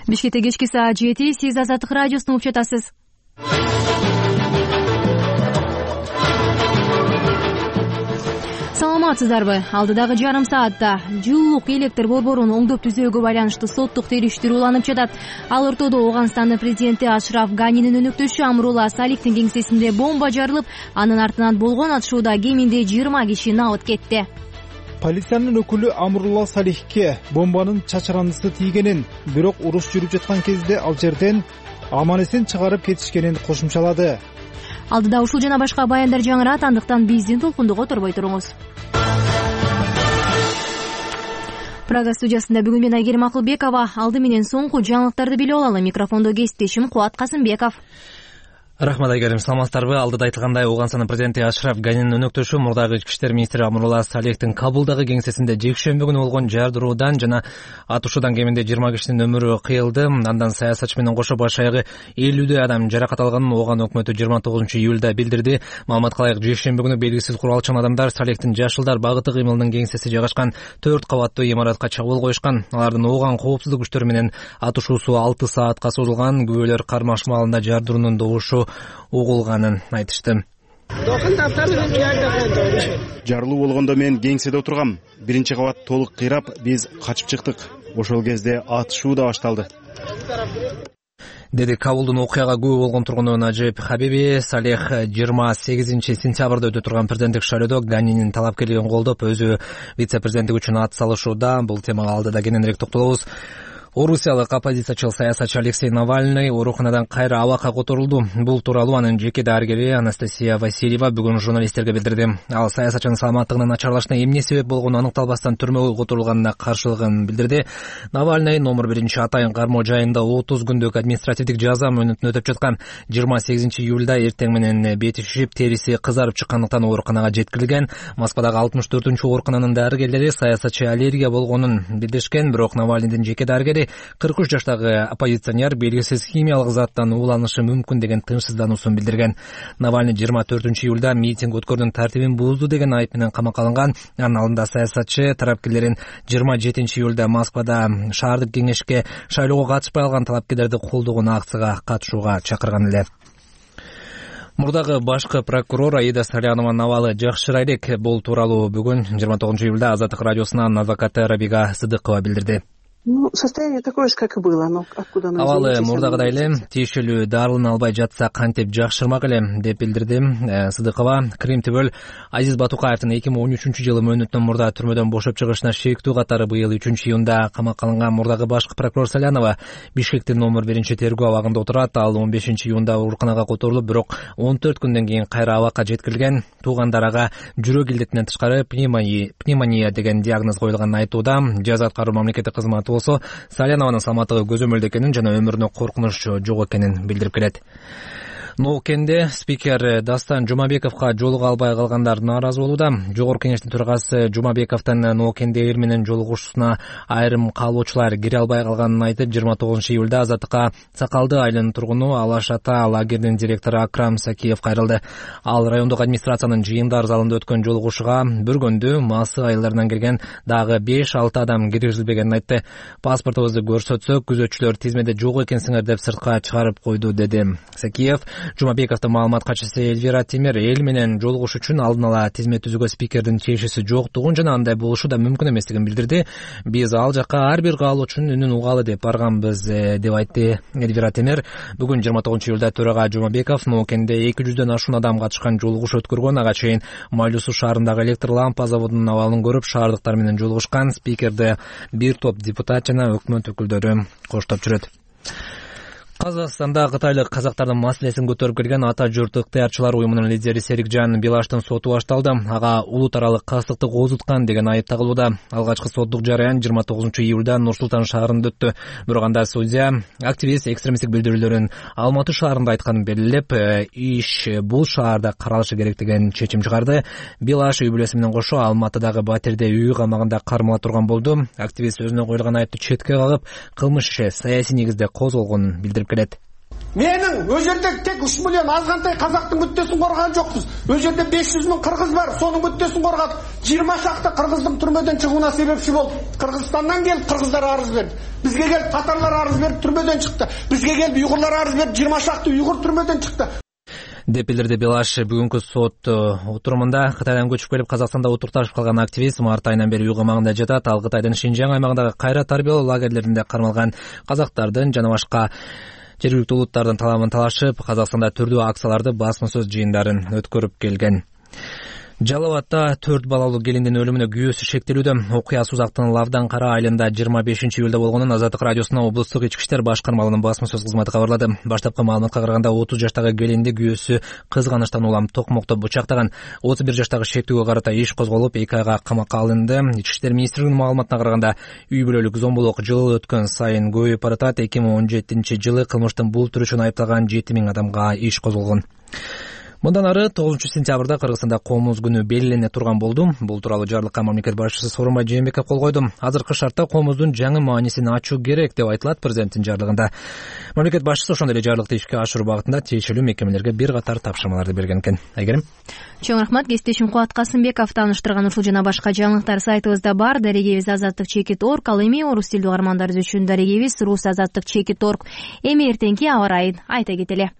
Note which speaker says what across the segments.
Speaker 1: Бишкекте кечки саат 7, сиз Азаттык радиосун угуп жатасыз. Саламатсыздарбы? Алдыдагы жарым саатта жылуулук электр борборун оңдоп түзүүгө байланыштуу соттук териштирүү уланып жатат. Ал ортодо Ооганстандын президенти Ашраф Ганинин өнөктөшү Амрула Салихтин кеңсесинде бомба жарылып, анын артынан болгон атышууда кеминде 20 киши набыт кетти.
Speaker 2: Полициянын өкүлү Амрула Салихке бомбанын чачырандысы тийгенин, бирок уруш жүрүп жаткан кезде ал жерден аман-эсен чыгарып кетишкенин кошумчалады.
Speaker 1: Алдыда ушул жана башка баяндар жаңырат, андыктан биздин толкундуга оторбой туруңуз. Прага студиясында бүгүн мен Айгерим Акылбекова. Алды менен соңку жаңылыктарды билип алалы. Микрофондо кесиптешим Кубат Касымбеков.
Speaker 3: Рахмат Айгерим, саламатсыздарбы? Алдыда айтылгандай, Ооганстандын президенти Ашраф Ганинин өнөктөшү мурдагы ички иштер министри Амрула Салихтин Кабулдагы кеңсесинде жекшемби күнү болгон жардыруудан жана атышуудан кеминде 20 кишинин өмүрү кыйылды. Андан саясатчы менен кошо баш аягы 50 адам жаракат алганын Ооган өкмөтү 29-июлда билдирди. Маалыматка ылайык, жекшемби күнү белгисиз куралчан адамдар Салихтин Жашылдар багыты кыймылынын кеңсеси жайгашкан 4 кабаттуу имаратка чабуул коюшкан. Алардын Ооган коопсуздук күчтөрү менен атышуусу 6 саатка созулган. Күбөлөр кармаш маалында жардыруунун добушу угулганын айтышты.
Speaker 4: Жарылуу болгондо мен кеңседе отургам. Биринчи кабат толук кыйрап, биз качып чыктык. Ошол кезде атышуу да башталды,
Speaker 3: деди Кабулдун окуяга күбө болгон тургуну Нажип Хабиби. Салих 28-сентябрда өтө турган президенттик шайлоодо Ганинин талапкерлигин колдоп, өзү вице-президенттик үчүн ат салышууда. Бул темага алдыда кененирээк токтолобуз. Орусиялык оппозициячыл саясатчы Алексей Навальный ооруканадан кайра абакка которулду. Бул тууралуу анын жеке дарыгери Анастасия Васильева бүгүн журналисттерге билдирди. Ал саясатчынын саламаттыгынын начарлашына эмне себеп болгону аныкталбастан түрмөгө которулганына каршылыгын билдирди. Навальный номер 1 Атайын кармоо жайында 30 күндүк административдик жаза мөөнөтүн өтөп жаткан. 28-июлда эртең менен бети шишип, териси кызарып чыккандыктан ооруканага жеткирилген. Москвадагы 64-оорукананын дарыгерлери саясатчы аллергия болгонун билдиришкен, бирок Навальныйдын жеке дарыгери 43 жаштагы оппозиционер белгисиз химиялык заттан ууланышы мүмкүн деген тынчсыздануусун билдирген. Навальный 24-июлда митинг өткөрүүнүн тартибин бузду деген айып менен камакка алынган. Анын алдында саясатчы тарапкерлерин 27-июлда Москвада шаардык кеңешке шайлоого катышпай алган талапкерлерди колдогон акцияга катышууга чакырган эле. Мурдагы башкы прокурор Аида Салянованын абалы жакшыра элек. Бул тууралуу бүгүн 29-июлда Азаттык радиосунун адвокаты Рабига Сыдыкова билдирди.
Speaker 5: Состояние такое же, как и было, но откуда оно
Speaker 3: абалы
Speaker 5: взялось,
Speaker 3: мурдагыдай эле, тиешелүү дарылын албай жатса кантип жакшырмак эле деп билдирди Сыдыкова. Крим түбөл Азиз Батукаевдин 2013-жылы мөөнөттөн мурда түрмөдөн бошоп чыгышына шектүү катары быйыл 3-июнда камакка алынган мурдагы башкы прокурор Салянова Бишкектин номер 1 тергөө абагында отурат. Ал 15-июнда ооруканага которулуп, бирок 14 күндөн кийин кайра абакка жеткирилген. Туугандар ага жүрөк илдетинен тышкары пневмония деген диагноз коюлганын айтууда. Жаза аткаруу мамлекеттик кызматы болсо Салянованын саламаттыгы көзөмөлдө экенин жана өмүрүнө коркунуч жок экенин билдирип келет. Ноокенде спикер Дастан Жумабековго жолуга албай калгандар нааразы болууда. Жогорку кеңештин төрагасы Жумабековдун Ноокенде эл менен жолугушуусуна айрым каалоочулар кире албай калганын айтып, 29-июлда Азаттыкка Сакалды айылынын тургуну Алаш Ата лагеринин директору Акрам Сакиев кайрылды. Ал райондук администрациянын жыйындар залында өткөн жолугушууга бүргөндү Масы айылдарынан келген дагы 5-6 адам киргизилбегенин айтты. Паспортубузду көрсөтсөк, күзөтчүлөр тизмеде жок экенсиңер деп сыртка чыгарып койду, деди Сакиев. Жумабековдун маалымат катчысы Эльвира Тимер эл менен жолугуш үчүн алдын ала тизме түзүүгө спикердин чечиши жоктугун жана андай болушу да мүмкүн эместигин билдирди. Биз ал жакка ар бир каалоочунун үнүн угалы деп барганбыз, деп айтты Эльвира Тимер. Бүгүн 29-июлда төрага Жумабеков Ноокенде 200дөн ашуун адам катышкан жолугуш өткөргөн. Ага чейин Майлуу Суу шаарындагы электр лампа заводунун абалын көрүп, шаардыктар менен жолугушкан. Спикерди бир топ депутат жана өкмөт өкүлдөрү коштоп жүрөт. Казакстанда кытайлык казактардын маселесин көтөрүп келген Ата журт ыктыярчылар уюмунун лидери Серикжан Билаштын соту башталды. Ага улут аралык кастыктык оозуткан деген айып тагылууда. Алгачкы соттук жараян 29-июлда Нур-Султан шаарында өттү. Бирок анда судья активист экстремисттик билдирүүлөрүн Алматы шаарында айтканын белгилеп, иш бул шаарда каралышы керек деген чечим чыгарды. Билаш үй бүлөсү менен кошо Алматыдагы батирде үй камагында кармала турган болду. Активист өзүнө коюлган айыпты четке кагып, кылмыш иши саясий негизде козголгонун билдирип келет.
Speaker 6: Менің өз жерде тек 3 миллион азғантай қазақтың мүддесін қорған жоқпыз. Өз жерде 500 мың қырғыз бар, соның мүддесін қорғадық. 20 шақты қырғыздың түрмеден шығуына себепші болды. Қырғызстаннан келіп қырғыздар арыз берді. Бізге келіп татарлар арыз беріп түрмеден шықты. Бізге келіп ұйғырлар арыз беріп 20 шақты ұйғыр түрмеден шықты.
Speaker 3: Деп билдирди Белаш бүгүнкү сот отурумунда. Кытайдан көчүп келип Казакстанда отурташып калган активист март айынан бери үй камагында жатат. Ал Кытайдын Шинжаң аймагындагы кайра тарбиялоо лагерлеринде кармалган казактардын жана башка жергиликтүү улуттардын талабын талашып, Казакстанда түрдүү акцияларды, басма сөз жыйындарын өткөрүп келген. Жалал Абадта 4 балалуу келиндин өлүмүнө күйөөсү шектелүүдө. Окуя Сузактын Лавдан Кара айылында 25-июлда болгонун Азаттык радиосуна облустук ички иштер башкармалыгынын басма сөз кызматы кабарлады. Баштапкы маалыматка караганда 30 жаштагы келинди күйөөсү кызганыштан улам токмоктоп бычактаган. 31 жаштагы шектүүгө карата иш козголуп, 2 айга камакка алынды. Ички иштер министрлигинин маалыматына караганда, үй бүлөлүк зомбулук жыл өткөн сайын көбөйүп баратат. 2017-жылы кылмыштын бул түрү үчүн айыпталган 7000 адамга иш козголгон. Мындан ары 9-сентябрда Кыргызстанда Комуз күнү белгилене турган болду. Бул тууралуу жарлыкка мамлекет башчысы Сооронбай Жээнбеков кол койду. Азыркы шартта Комуздун жаңы маанисин ачуу керек деп айтылат президенттин жарлыгында. Мамлекет башчысы ошондой эле жарлыкты ишке ашыруу багытында тиешелүү мекемелерге бир катар тапшырмаларды берген экен. Айгерим.
Speaker 1: Чоң рахмат. Кесиптешим Кубат Касымбеков тааныштырган ушул жана башка жаңылыктар сайтыбызда бар. Дарегебиз azattik.org, ал эми орус тилдүү каармандарыбыз үчүн дарегебиз rus.azattik.org. Эми эртеңки аба ырайын айта кетели.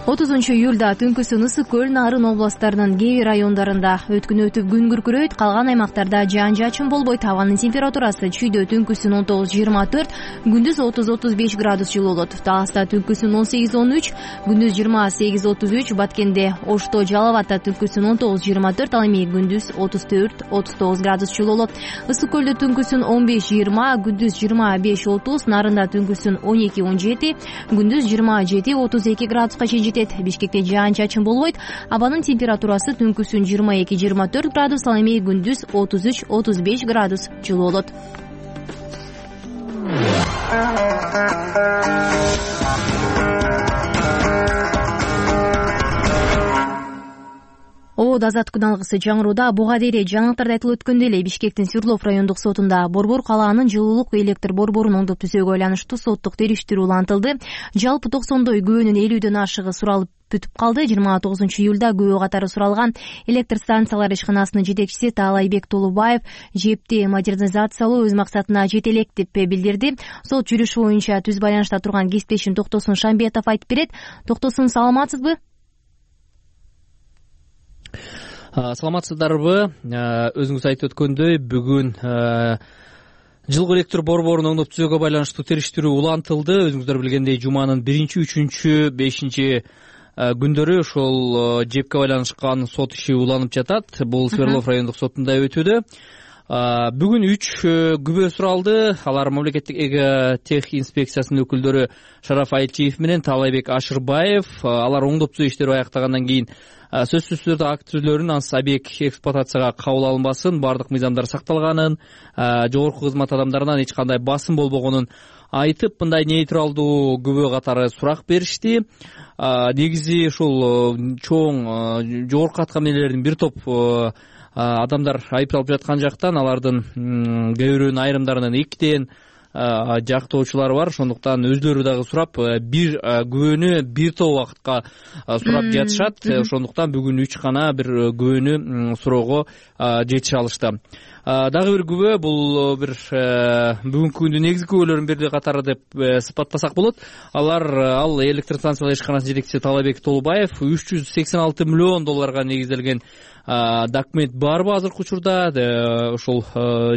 Speaker 1: 30 июлда түнкүсүн Ысык көл, Нарын областтарынын кээ бир райондарында өткүн өтүп күн күркүрөйт, калган аймактарда жаан-жачын болбойт. Абанын температурасы чүйдө түнкүсүн 19-24, күндүз 30-35 градус жылуу болот. Таласта түнкүсүн 18-13, күндүз 28-33, Баткенде, Ошто, Жалал Абадта түнкүсүн 19-24, ал эми күндүз 34-39 градус жылуу болот. Ысык көлдө түнкүсүн 15-20, күндүз 25-30, Нарында түнкүсүн 12-17, күндүз 27-32 градуска чейин. Бишкекте жаан-чачын болбойт. Абанын температурасы түнкүсүн 22-24 градус, ал эми күндүз 33-35 градус жылуу болот. Азаттык алгысы жаңырууда буга дейре жаңылыктарда айтылып өткөндөй эле Бишкектин Свердлов райондук сотунда Борбор калаанын жылуулук электр борборун оңдоп түзүүгө байланыштуу соттук териштирүү улантылды. Жалпы 90 күбөнүн 50дөн ашыгы суралып бүтүп калды. 29 июлда күбө катары суралган электр станциялар ишканасынын жетекчиси Таалайбек Толубаев жепти модернизациялоо өз максатына жете элек деп билдирди. Сот жүрүшү боюнча түз байланышта турган кесиптешим Токтосун Шамбетов айтып берет. Токтосун, саламатсызбы?
Speaker 7: Саламатсыздарбы? Өзүңүз айтып өткөндөй, бүгүн жылгы электр борборун оңдоп түзүүгө байланыштуу териштирүү улантылды. Өзүңүздөр билгендей, жуманын 1, 3, 5 күндөрү ошол жепке байланышкан сот иши уланып жатат. Бул Свердлов райондук сотунда өтүүдө. Бүгүн 3 күбө суралды. Алар мамлекеттик тех инспекциясынын өкүлдөрү Шараф Айтиев менен Таалайбек Ашырбаев. Алар оңдоп түзүү иштери аяктагандан кийин сөзсүз түрдө акт түзүлөрүн, анысы объект эксплуатацияга кабыл алынбасын, бардык мыйзамдар сакталганын, жогорку кызмат адамдарынан эч кандай басым болбогонун айтып, мындай нейтралдуу күбө катары сурак беришти. Негизи ушул чоң жогорку аткаминерлердин бир топ адамдар айыпталып жаткан жактан, алардын кээ бирөөнүн айрымдарынын эктен жактоочулары бар. Ошондуктан өзлөрү дагы сурап, бир күбөнү бир топ убакытка сурап жатышат. Ошондуктан бүгүн 3 гана бир күбөнү суроого жетише алышты. Дагы бир күбө, бул бир бүгүнкү күндүн негизги күбөлөрүнүн бири катары деп сыпаттасак болот. Ал электр станциялар ишканасынын жетекчиси Таалайбек Толубаев 386 миллион долларга негизделген документ барбы азыркы учурда? Ошол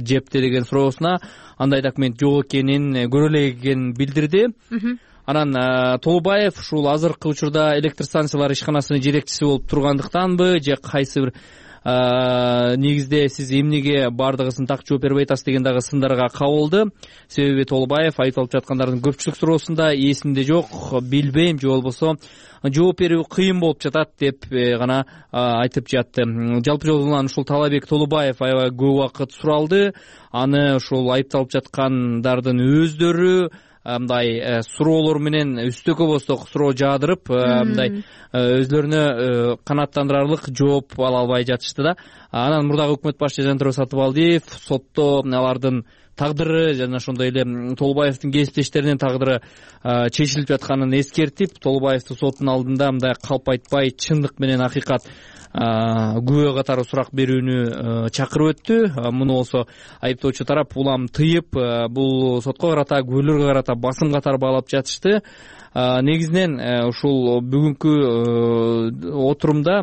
Speaker 7: жепте деген суроосуна андай документ жок экенин, көрө элек экенин билдирди. Анан Толубаев ушул азыркы учурда электр станциялар ишканасынын жетекчиси болуп тургандыктанбы, же кайсы бир негизде сиз эмнеге бардыгысын так жооп бербей атасыз деген дагы сындарга кабылды. Себеби Толубаев айыпталып жаткандардын көпчүлүк суроосунда эсимде жок, билбейм, же болбосо жооп берүү кыйын болуп жатат деп гана айтып жатты. Жалпы жолунан ушул Таалайбек Толубаев аябай көп убакыт суралды. Аны ушул айыпталып жаткандардын өздөрү мындай суроолор менен үстөккө босток суроо жаадырып, мындай өзлөрүнө канааттандырарлык жооп ала албай жатышты да. Анан мурдагы өкмөт башчы Жантөрө Сатыбалдиев сотто алардын тагдыры жана ошондой эле Толбаевдин кесиптештеринин тагдыры чечилип жатканын эскертип, Толбаевди соттун алдында мындай калп айтпай чындык менен акыйкат күбө катары сурак берүүнү чакырып өттү. Муну болсо айыптоочу тарап улам тыйып, бул сотко карата, күбөлөргө карата басым катары баалап жатышты. Негизинен ушул бүгүнкү отурумда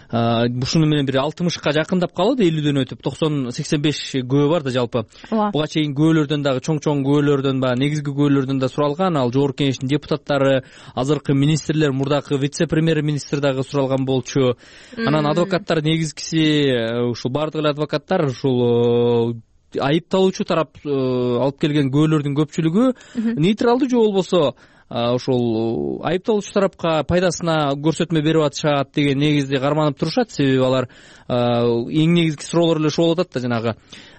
Speaker 7: ушуну менен бир 60ка жакындап калды, 50дөн өтүп 90-85 күбө бар да жалпы. Буга чейин күбөлөрдөн дагы чоң күбөлөрдөн негизги күбөлөрдөн да суралган. Ал жогорку кеңештин депутаттары, азыркы министрлер, мурдакы вице-премьер министр дагы суралган болчу. Анан адвокаттар, негизгиси ушул бардык эле адвокаттар ушул айыпталуучу тарап алып келген күбөлөрдүн көпчүлүгү нейтралдуу же болбосо ушул айыпталуучу тарапка пайдасына көрсөтмө берип атышат деген негизде карманып турушат. Себеби алар эң негизги суроолор эле ушул болуп атат да, жанагы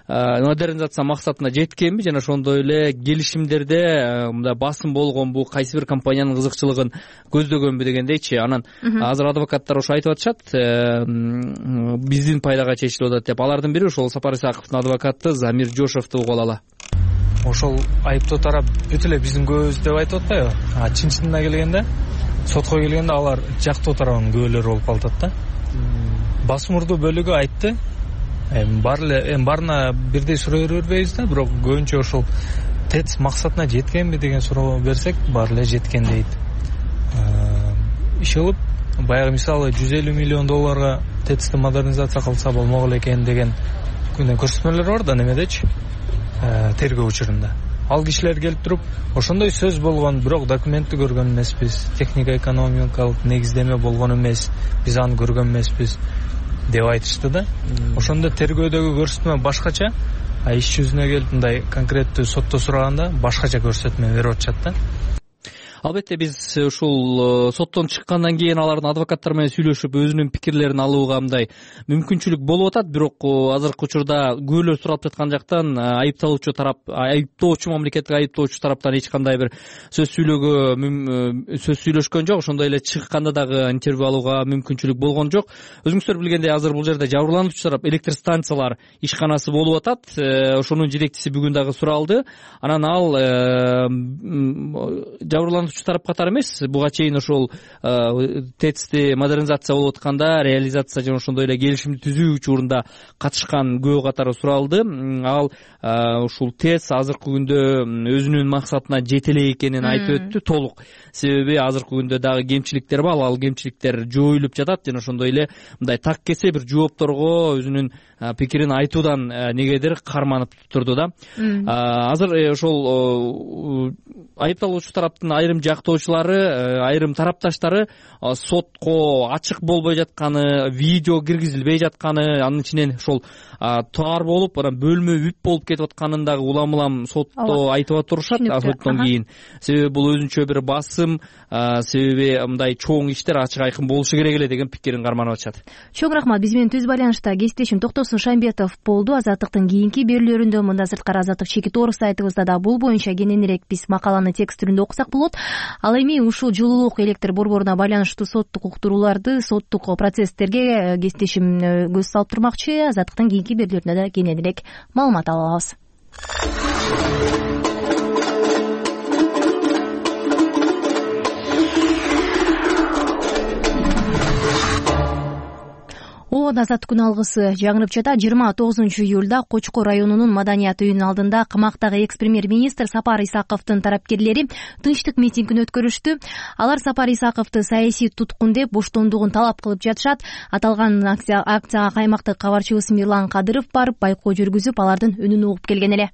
Speaker 7: модернизация максатына жеткенби жана ошондой эле келишимдерде мындай басым болгонбу, кайсы бир компаниянын кызыкчылыгын көздөгөнбү дегендейчи. Анан азыр адвокаттар ошо айтып атышат, биздин пайдага чечилип атат деп. Алардын бири ошол Сапар Исаковдун адвокаты Замир Жошевду угуп алалы.
Speaker 8: Ошол айыптоо тарап бүт эле биздин күбөбүз деп айтып атпайбы? Чын-чынына келгенде, сотко келгенде алар жактоо тарабынын күбөлөрү болуп калат да. Басым мурдуу бөлүгү айтты. Баарына бирдей суроо бербейбиз да, бирок көбүнчө ошол ТЭЦ максатына жеткенби деген суроо берсек, баары эле жеткен дейт. Иш кылып, баягы мисалы 150 миллион долларга ТЭЦти модернизация кылса болмок эле экен деген көрсөтмөлөр бар да немедечи, тергөө учурунда. Ал кишилер келип туруп, ошондой сөз болгон, бирок документти көргөн эмеспиз, техника экономикалык негиздеме болгон эмес, биз аны көргөн эмеспиз деп айтышты да. Ошондо тергөөдөгү көрсөтмө башкача, иш жүзүнө келип мындай конкреттүү сотто сураганда башкача көрсөтмө берип атышат да.
Speaker 7: Албетте биз ушул соттон чыккандан кийин алардын адвокаттар менен сүйлөшүп өзүнүн пикирлерин алууга мындай мүмкүнчүлүк болуп атат. Бирок азыркы учурда күбөлөр суралып жаткан жактан айыпталуучу тарап, айыптоочу, мамлекеттик айыптоочу тараптан эч кандай бир сөз сүйлөшкөн жок. Ошондой эле чыкканда дагы интервью алууга мүмкүнчүлүк болгон жок. Өзүңүздөр билгендей, азыр бул жерде жабырлануучу тарап электр станциялар ишканасы болуп атат. Ошонун жетекчиси бүгүн дагы суралды. Анан ал жабырлануучу тарап катары эмес, буга чейин ошол ТЭЦти модернизация болуп атканда реализация жана ошондой эле келишимди түзүү учурунда катышкан күбө катары суралды. Ал ушул ТЭЦ азыркы күндө өзүнүн максатына жете элек экенин айтып өттү, толук. Себеби азыркы күндө дагы кемчиликтер бар, ал кемчиликтер жоюлуп жатат жана ошондой эле мындай так кесе бир жоопторго өзүнүн пикирин айтуудан негедир карманып турду да. Азыр ошол айыпталуучу тараптын айрым жактоочулары, айрым тарапташтары сотко ачык болбой жатканы, видео киргизилбей жатканы, анын ичинен ошол таар болуп, анан бөлмө бүт болуп кетип атканын дагы улам сотто айтып турушат соттон кийин. Себеби бул өзүнчө бир басым, себеби мындай чоң иштер ачык айкын болушу керек эле деген пикирин карманып атышат.
Speaker 1: Чоң рахмат. Биз менен түз байланышта кесиптешим Токтосун Шаймбетов болду. Азаттыктын кийинки берүүлөрүндө мында сырткары Азаттык чеки тоор сайтыбызда да бул боюнча кененирээк биз макаланы текст түрүндө окусак болот. Ал эми ушул жылуулук электр борборуна байланыштуу соттук уктурууларды, соттук процесстерге кесиптешим көз салып турмакчы. Азаттыктын кийинки берүүлөрүндө да кененирээк маалымат ала алабыз. Азаттык күн алгысы жаңырып жатат. 29-июлда Кочкор районунун Маданият үйүнүн алдында камактагы экс-премьер-министр Сапар Исаковдун тарапкерлери тынчтык митингин өткөрүштү. Алар Сапар Исаковду саясий туткун деп боштондугун талап кылып жатышат. Аталган акцияга аймактык кабарчыбыз Мирлан Кадыров барып, байкоо жүргүзүп, алардын үнүн угуп келген эле.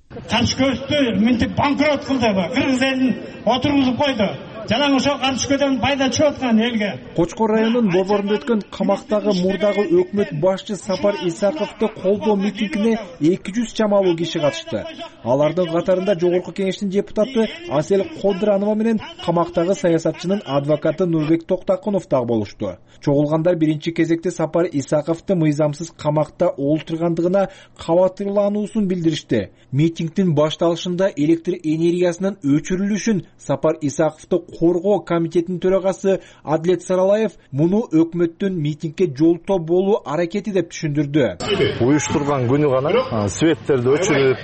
Speaker 9: Качкөздү мынтип банкрот кылдыбы? Кыргыз элин отургузуп койду. Жана ошол качкөдөн пайда чыгып аткан элге.
Speaker 2: Кочкор районунун борборунда өткөн камактагы мурдагы өкмөт башчы Сапар Исаковду колдоо митингине 200 чамалуу киши катышты. Алардын катарында жогорку кеңештин депутаты Асель Кодыранова менен камактагы саясатчынын адвокаты Нурбек Токтакунов дагы болушту. Чогулгандар биринчи кезекте Сапар Исаковду мыйзамсыз камакта олтургандыгына кабатырлануусун билдиришти. Митингдин башталышында электр энергиясынын өчүрүлүшүн Сапар Исаковду коргоо комитетинин төрагасы Адлет Саралаев муну өкмөттүн митингге жолтоо болуу аракети деп түшүндүрдү.
Speaker 10: Уюштурган күнү гана светтерди өчүрүп,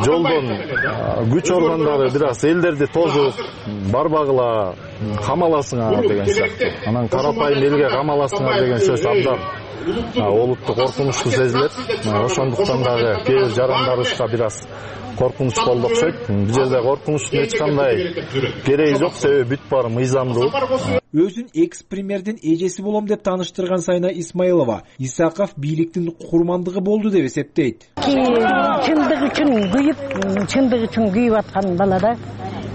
Speaker 10: жолдон күч органдары бир аз элдерди тосуп, барбагыла, камаласыңар деген сыяктуу. Анан карапайым элге камаласыңар деген сөз абдан олуттуу коркунучтуу сезилет. Ошондуктан дагы кээ бир жарандарыбызга бир аз коркунуч болду окшойт. Бул жерде коркунучтун эч кандай кереги жок, себеби бүт баары мыйзамдуу.
Speaker 2: Өзүн экс-премьердин эжеси болом деп тааныштырган Сайна Исмаилова Исаков бийликтин курмандыгы болду деп эсептейт.
Speaker 11: Чындык үчүн күйүп аткан балада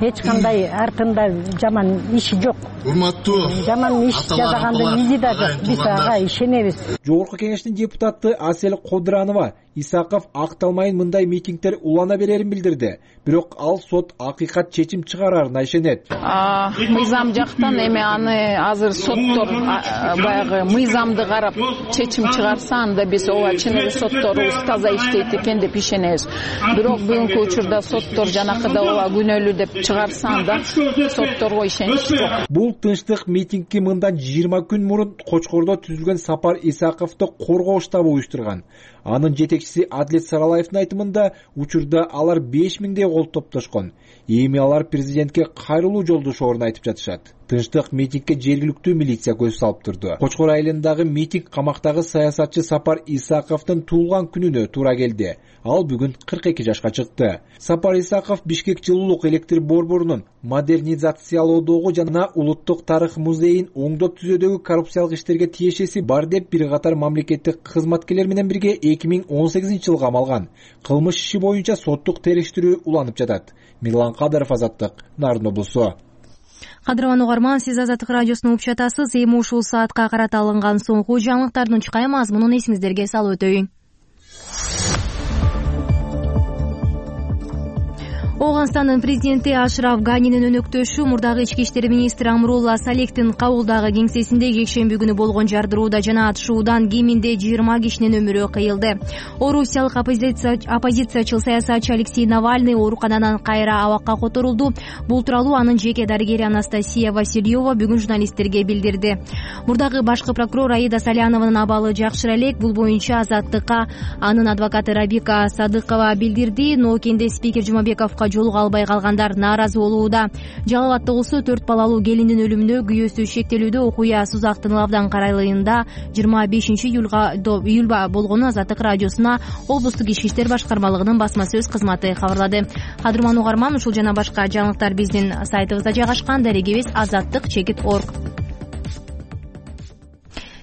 Speaker 11: эч кандай артында жаман иши жок.
Speaker 12: Урматтуу
Speaker 11: жаман иш жасагандын изи да жок. Биз ага ишенебиз.
Speaker 2: Жогорку кеңештин депутаты Асел Кодранова Исаков акталмайын мындай митингдер улана берерин билдирди. Бирок ал сот акыйкат чечим чыгарарына ишенет.
Speaker 13: Мыйзам жактан эми аны азыр соттор баягы мыйзамды карап чечим чыгарса, анда биз ооба чын эле сотторубуз таза иштейт экен деп ишенебиз. Бирок бүгүнкү учурда соттор жанакыда ооба күнөөлүү деп чыгарса, анда сотторго ишенич жок.
Speaker 2: Бул тынчтык митингги мындан 20 күн мурун Кочкордо түзүлгөн Сапар Исаковду коргоо штабы уюштурган. Анын жетекчиси Адлет Саралаевдин айтымында учурда алар 5000дей кол топтошкон. Эми алар президентке кайрылуу жолдошоорун айтып жатышат. Тынчтык митингге жергиликтүү милиция көз салып турду. Кочкор айылындагы митинг камактагы саясатчы Сапар Исаковдун туулган күнүнө туура келди. Ал бүгүн 42 жашка чыкты. Сапар Исаков Бишкек жылуулук электр борборунун модернизациялоодогу жана улуттук тарых музейин оңдоп түзүүдөгү коррупциялык иштерге тиешеси бар деп бир катар мамлекеттик кызматкерлер менен бирге 2018-жылы камалган. Кылмыш иши боюнча соттук териштирүү уланып жатат. Мирлан Кадыров, Азаттык, Нарын облусу.
Speaker 1: Кадырман угарман, сиз Азаттык радиосуну угуп жатасыз. Эми ушул саатка карата алынган соңку жаңылыктардын чыкай мазмунун эсиңиздерге салып өтөйүн. Оганстандын президенти Ашраф Ганинин өнөктөшү мурдагы ички иштер министри Амрулла Салехтин Кабулдагы кеңсесинде жекшемби күнү болгон жардырууда жана атышуудан кеминде 20 кишинин өмүрү кыйылды. Орусиялык оппозициячыл саясатчы Алексей Навальный ооруканадан кайра абакка которулду. Бул тууралуу анын жеке дарыгери Анастасия Васильева бүгүн журналисттерге билдирди. Мурдагы башкы прокурор Аида Салянованын абалы жакшыра элек. Бул боюнча Азаттыкка анын адвокаты Рабика Садыкова билдирди. Ноокенде спикер Жумабековго жолуга албай калгандар нааразы болууда. Жалал аттагусу 4 балалуу келиндин өлүмүнө күйөөсү шектелүүдө окуя Сузактын Лавдан карайлыйында 25-июлда болгону Азаттык радиосуна облустук ички иштер башкармалыгынын басма сөз кызматы кабарлады. Кадырман угарман, ушул жана башка жаңылыктар биздин сайтыбызда жайгашкан. Дарегибиз azattik.org.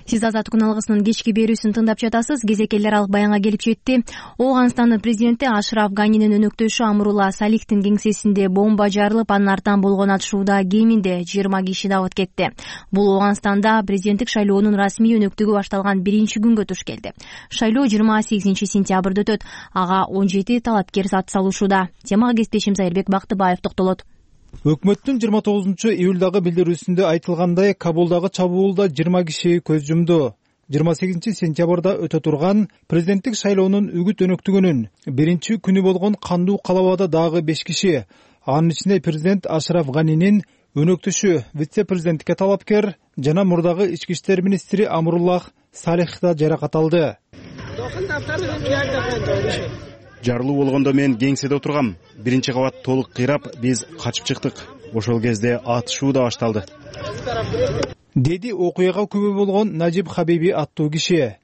Speaker 1: Сиз Азаттык күнүалгысынын кечки берүүсүн тыңдап жатасыз. Кезекелер алып баянга келип жетти. Оганстандын президенти Ашраф Ганинин өнөктөшү Амрулла Салехтин кеңсесинде бомба жарылып, анын артынан болгон атышууда кеминде 20 киши абыт кетти. Бул Оганстанда президенттик шайлоонун расмий өнөктүгү башталган биринчи күнгө туш келди. Шайлоо 28-сентябрда өтөт. Ага 17 талапкер атсалышууда. Темага кесиптешим Зайырбек Бактыбаев токтолот.
Speaker 14: Өкмөттүн 29-июлдагы билдирүүсүндө айтылгандай, Кабулдагы чабуулда 20 киши көз жумду. 28-сентябрда өтө турган президенттик шайлоонун үгүт өнөктүгүнүн биринчи күнү болгон кандуу калабада дагы 5 киши, анын ичинде президент Ашраф Ганинин өнөктөшү вице-президентке талапкер жана мурдагы ички иштер министри Амруллах Салех да жаракат алды.
Speaker 4: Жарылуу болгондо мен кеңседе отургам. Биринчи кабат толук кыйрап, биз качып чыктык. Ошол кезде атышуу да башталды.
Speaker 14: Деди окуяга күбө болгон Najib Habibi аттуу киши.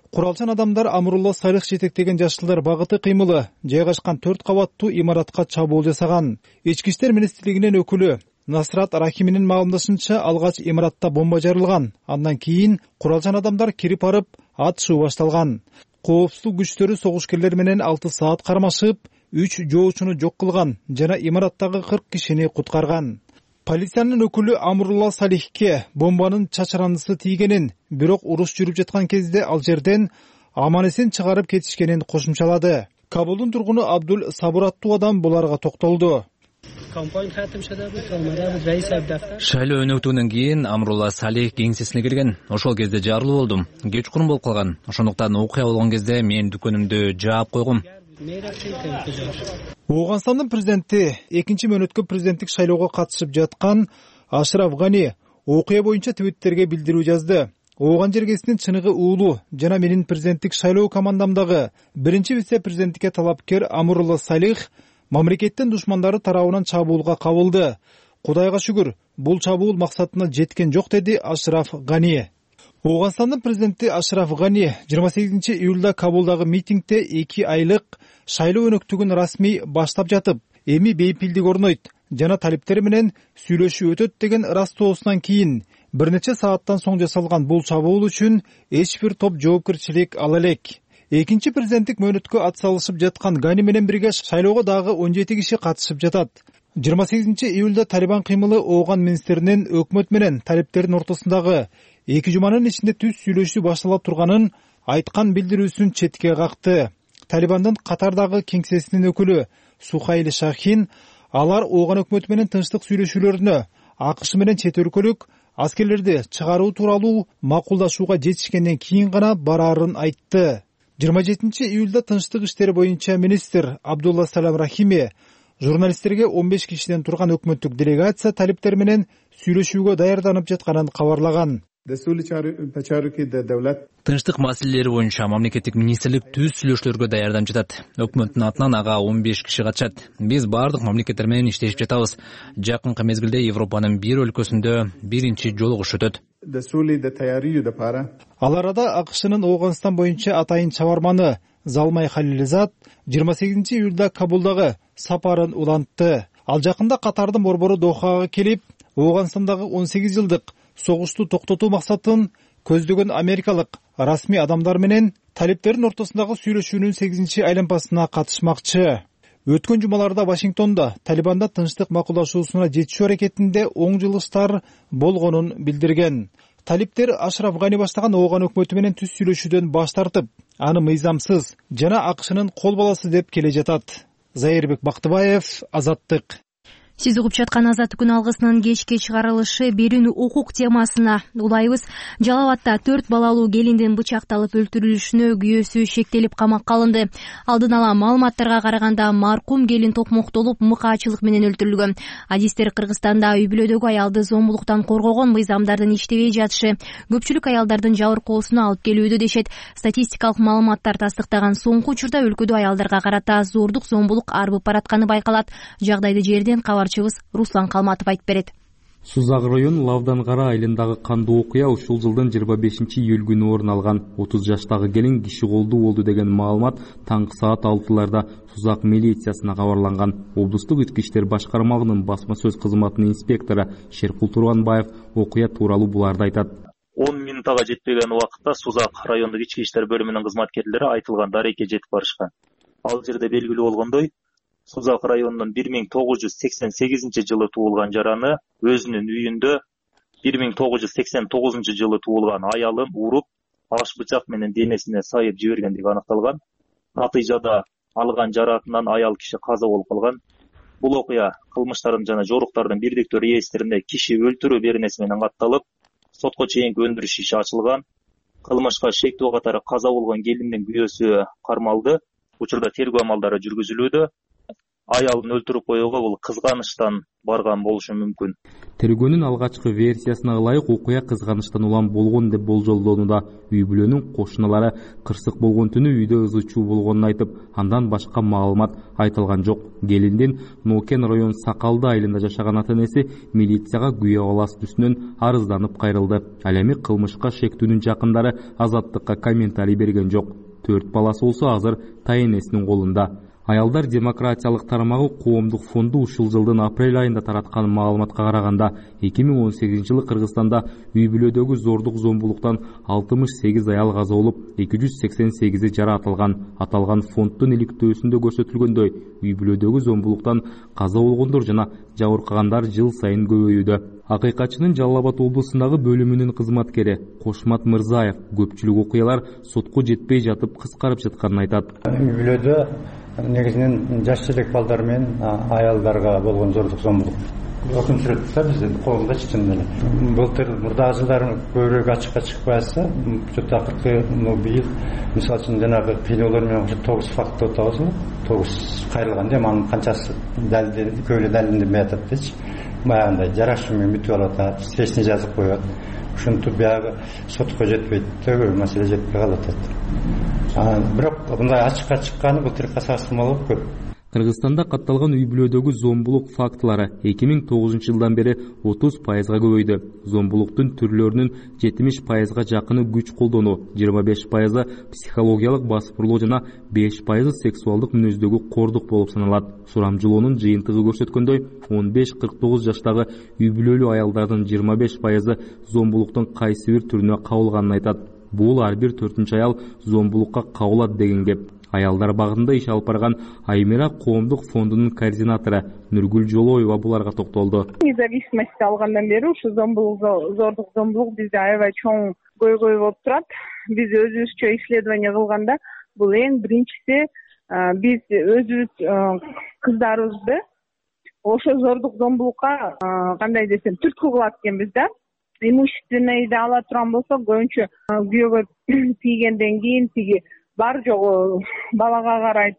Speaker 14: Куралчан адамдар Амрулла Салех жетектеген жаштылар багыты кыймылы жайгашкан 4 кабаттуу имаратка чабуул жасаган. Ички иштер министрлигинин өкүлү Насрат Рахиминин маалымдашынча, алгач имаратта бомба жарылган. Андан кийин куралчан адамдар кирип барып, атышуу башталган. Коопсуздук күчтөрү согушкерлер менен 6 саат кармашып, 3 жоочуну жок кылган жана имараттагы 40 кишини куткарган. Полициянын өкүлү Амрулла Салехке бомбанын чачарандысы тийгенин, бирок уруш жүрүп жаткан кезде ал жерден аман-эсен чыгарып кетишкенин кошумчалады. Кабулдун тургуну Абдул Сабыр аттуу адам буларга токтолду.
Speaker 3: Шайлоо өнөктүгүнөн кийин Амрулла Салех кеңсесине келген. Ошол кезде жарылуу болдум. Кечкурун болуп калган. Ошондуктан окуя болгон кезде мен дүкөнүмдү жаап койгум.
Speaker 14: Ооганстандын президенти экинчи мөөнөткө президенттик шайлоого катышып жаткан Ашраф Гани окуя боюнча твиттерге билдирүү жазды. Ооган жергесинин чыныгы уулу жана менин президенттик шайлоо командамдагы биринчи вице-президенттикке талапкер Амурулла Салих мамлекеттин душмандары тарабынан чабуулга кабылды. Кудайга шүгүр, бул чабуул максатына жеткен жок, деди Ашраф Гани. Ооганстандын президенти Ашраф Гани 28 июлда Кабулдагы митингде 2 айлык шайлоо өнөктүгүн расмий баштап жатып, эми бейпилдик орнойт жана талиптер менен сүйлөшүү өтөт деген ырастоосунан кийин бир нече сааттан соң жасалган бул чабуул үчүн эч бир топ жоопкерчилик ала элек. Экинчи президенттик мөөнөткө ат салышып жаткан Гани менен бирге шайлоого дагы 17 киши катышып жатат. 28 июлда Талибан кыймылы Ооган министринин өкмөт менен талиптердин ортосундагы 2 жуманын ичинде түз сүйлөшүү баштала турганын айткан билдирүүсүн четке какты. Талибандын Катардагы кеңсесинин өкүлү Сухайли Шахин алар Ооган өкмөтү менен тынчтык сүйлөшүүлөрүнө АКШ менен чет өлкөлүк аскерлерди чыгаруу тууралуу макулдашууга жетишкенден кийин гана бараарын айтты. 27 июлда тынчтык иштери боюнча министр Абдулла Салам Рахими журналисттерге 15 кишиден турган өкмөттүк делегация талиптер менен сүйлөшүүгө даярданып жатканын кабарлаган.
Speaker 3: Тынчтык маселелери боюнча мамлекеттик министрлик түз сүйлөшүүлөргө даярданып жатат. Өкмөттүн атынан ага 15 киши катышат. Биз баардык мамлекеттер менен иштешип жатабыз. Жакынкы мезгилде Европанын бир өлкөсүндө биринчи жолугуш өтөт.
Speaker 14: Ал арада АКШнын Ооганстан боюнча атайын чабарманы Залмай Халилзад 28 июлда Кабулдагы сапарын улантты. Ал жакында Катардын борбору Дохага келип, Ооганстандагы 18 жылдык согушту токтотуу максатын көздөгөн америкалык расмий адамдар менен талиптердин ортосундагы сүйлөшүүнүн 8-чи айланпасына катышмакчы. Өткөн жумаларда Вашингтондо Талибанда тынчтык макулдашуусуна жетишүү аракетинде оң жылыштар болгонун билдирген. Талиптер Ашраф Гани баштаган Ооган өкмөтү менен түз сүйлөшүүдөн баш тартып, аны мыйзамсыз жана АКШнын кол баласы деп келе жатат. Зайырбек Бактыбаев, Азаттык.
Speaker 1: Сиз угуп жаткан Азаттык күн алгысынын кечки чыгарылышы берүүнү укук темасына улайбыз. Жалал Абадта 4 балалуу келиндин бычакталып өлтүрүлүшүнө күйөөсү шектелип камакка алынды. Алдын ала маалыматтарга караганда маркум келин токмоктолуп мыкаачылык менен өлтүрүлгөн. Адистер Кыргызстанда үй бүлөдөгү аялды зомбулуктан коргогон мыйзамдардын иштебей жатышы көпчүлүк аялдардын жабыркоосуна алып келүүдө дешет. Статистикалык маалыматтар тастыктаган соңку учурда өлкөдө аялдарга карата зордук зомбулук арбып баратканы байкалат. Жагдайды жерден Руслан Калматов айтып берет.
Speaker 12: Сузак району Лавдан-Кара айылындагы кандуу окуя ушул жылдын 25 июль күнү орун алган. 30 жаштагы келин киши колдуу болду деген маалымат таңкы саат 6-ларда Сузак милициясына кабарланган. Облустук ички иштер башкармалыгынын басма сөз кызматынын инспектору Шеркул Турганбаев окуя тууралуу буларды айтат.
Speaker 15: 10 минутага жетпеген убакытта Сузак райондук ички иштер бөлүмүнүн кызматкерлери айтылган дарекке жетип барышкан. Ал жерде белгилүү болгондой, Сузак районунун 1988 жылы туулган жараны өзүнүн үйүндө 1989 жылы туулган аялын уруп, аш бычак менен денесине сайып жибергендиги аныкталган. Натыйжада алган жаракатынан аял киши каза болуп калган. Бул окуя кылмыштардын жана жоруктардын бирдиктүү реестрине киши өлтүрүү беренеси менен катталып, сотко чейинки өндүрүш иши ачылган. Кылмышка шектүү катары каза болгон келиндин күйөөсү кармалды. Учурда тергөө амалдары жүргүзүлүүдө. Аялын өлтүрүп коюуга бул кызганычтан барган болушу мүмкүн.
Speaker 12: Тергөөнүн алгачкы версиясына ылайык окуя кызганычтан улам болгон деп болжолдонууда. Үй бүлөнүн кошуналары кырсык болгон түнү үйдө ызы чуу болгонун айтып, андан башка маалымат айтылган жок. Келиндин Нокен район Сакалды айылында жашаган ата-энеси милицияга күйөө баласынын үстүнөн арызданып кайрылды. Ал эми кылмышка шектүүнүн жакындары Азаттыкка комментарий берген жок. 4 баласы болсо азыр тайэнесинин колунда. Аялдар демократиялык тармагы коомдук фонду ушул жылдын апрель айында тараткан маалыматка караганда 2018 жылы Кыргызстанда үй бүлөдөгү зордук зомбулуктан 68 аял каза болуп, 288 жаратылган. Аталган фонддун иликтөөсүндө көрсөтүлгөндөй, үй бүлөдөгү зомбулуктан каза болгондор жана жабыркагандар жыл сайын көбөйүүдө. Акыйкатчынын Жалал Абад облусундагы бөлүмүнүн кызматкери Кошмат Мырзаев көпчүлүк окуялар сотко жетпей жатып кыскарып жатканын айтат.
Speaker 16: Үй бүлөдө негизинен жаш желек балдар менен аялдарга болгон зордук зомбулук өкүм сүрөт да биздин колунда эч ким эле. Былтыр мурдагы жылдары көбүрөөк ачыкка чыгып атса, чөт акыркы быйыл мисалы үчүн жанагы кыйноолор менен 9 факт атабызбы? 9 кайрылган деп анын канчасы далилденди, көбү далилденбей атат дечи. Баягындай жарашу менен бүтүп алат, свечный жазып коет. Ушинтип баягы сотко жетпейт, көп маселе жетпей калат. Бирок мындай ачыкка чыкканы былтыркы салыштырмалуу көп.
Speaker 12: Кыргызстанда катталган үй бүлөдөгү зомбулук фактылары 2009-жылдан бери 30%га көбөйдү. Зомбулуктун түрлөрүнүн 70%га жакыны күч колдонуу, 25%ы психологиялык басыптыруу жана 5%ы сексуалдык мүнөздөгү кордук болуп саналат. Сурамжылоонун жыйынтыгы көрсөткөндөй, 15-49 жаштагы үй бүлөлүү аялдардын 25%ы зомбулуктун кайсы бир түрүнө кабылганын айтат. Бул ар бир 4-чү аял зомбулукка кабылат деген кеп. Аялдар багында иш алып барган Аймира коомдук фондунун координатору Нургүл Жолоева буларга токтолду.
Speaker 17: Независимость алгандан бери ушу зордук зомбулук бизде аябай чоң көйгөй болуп турат. Биз өзүбүзчө исследование кылганда бул эң биринчиси биз өзүбүз кыздарыбызды ошо зордук зомбулукка кандай десем түрткү кылат экенбиз да. Имущественныйды ала турган болсок көбүнчө күйөөгө тийгенден кийин тиги бар жогу балага карайт,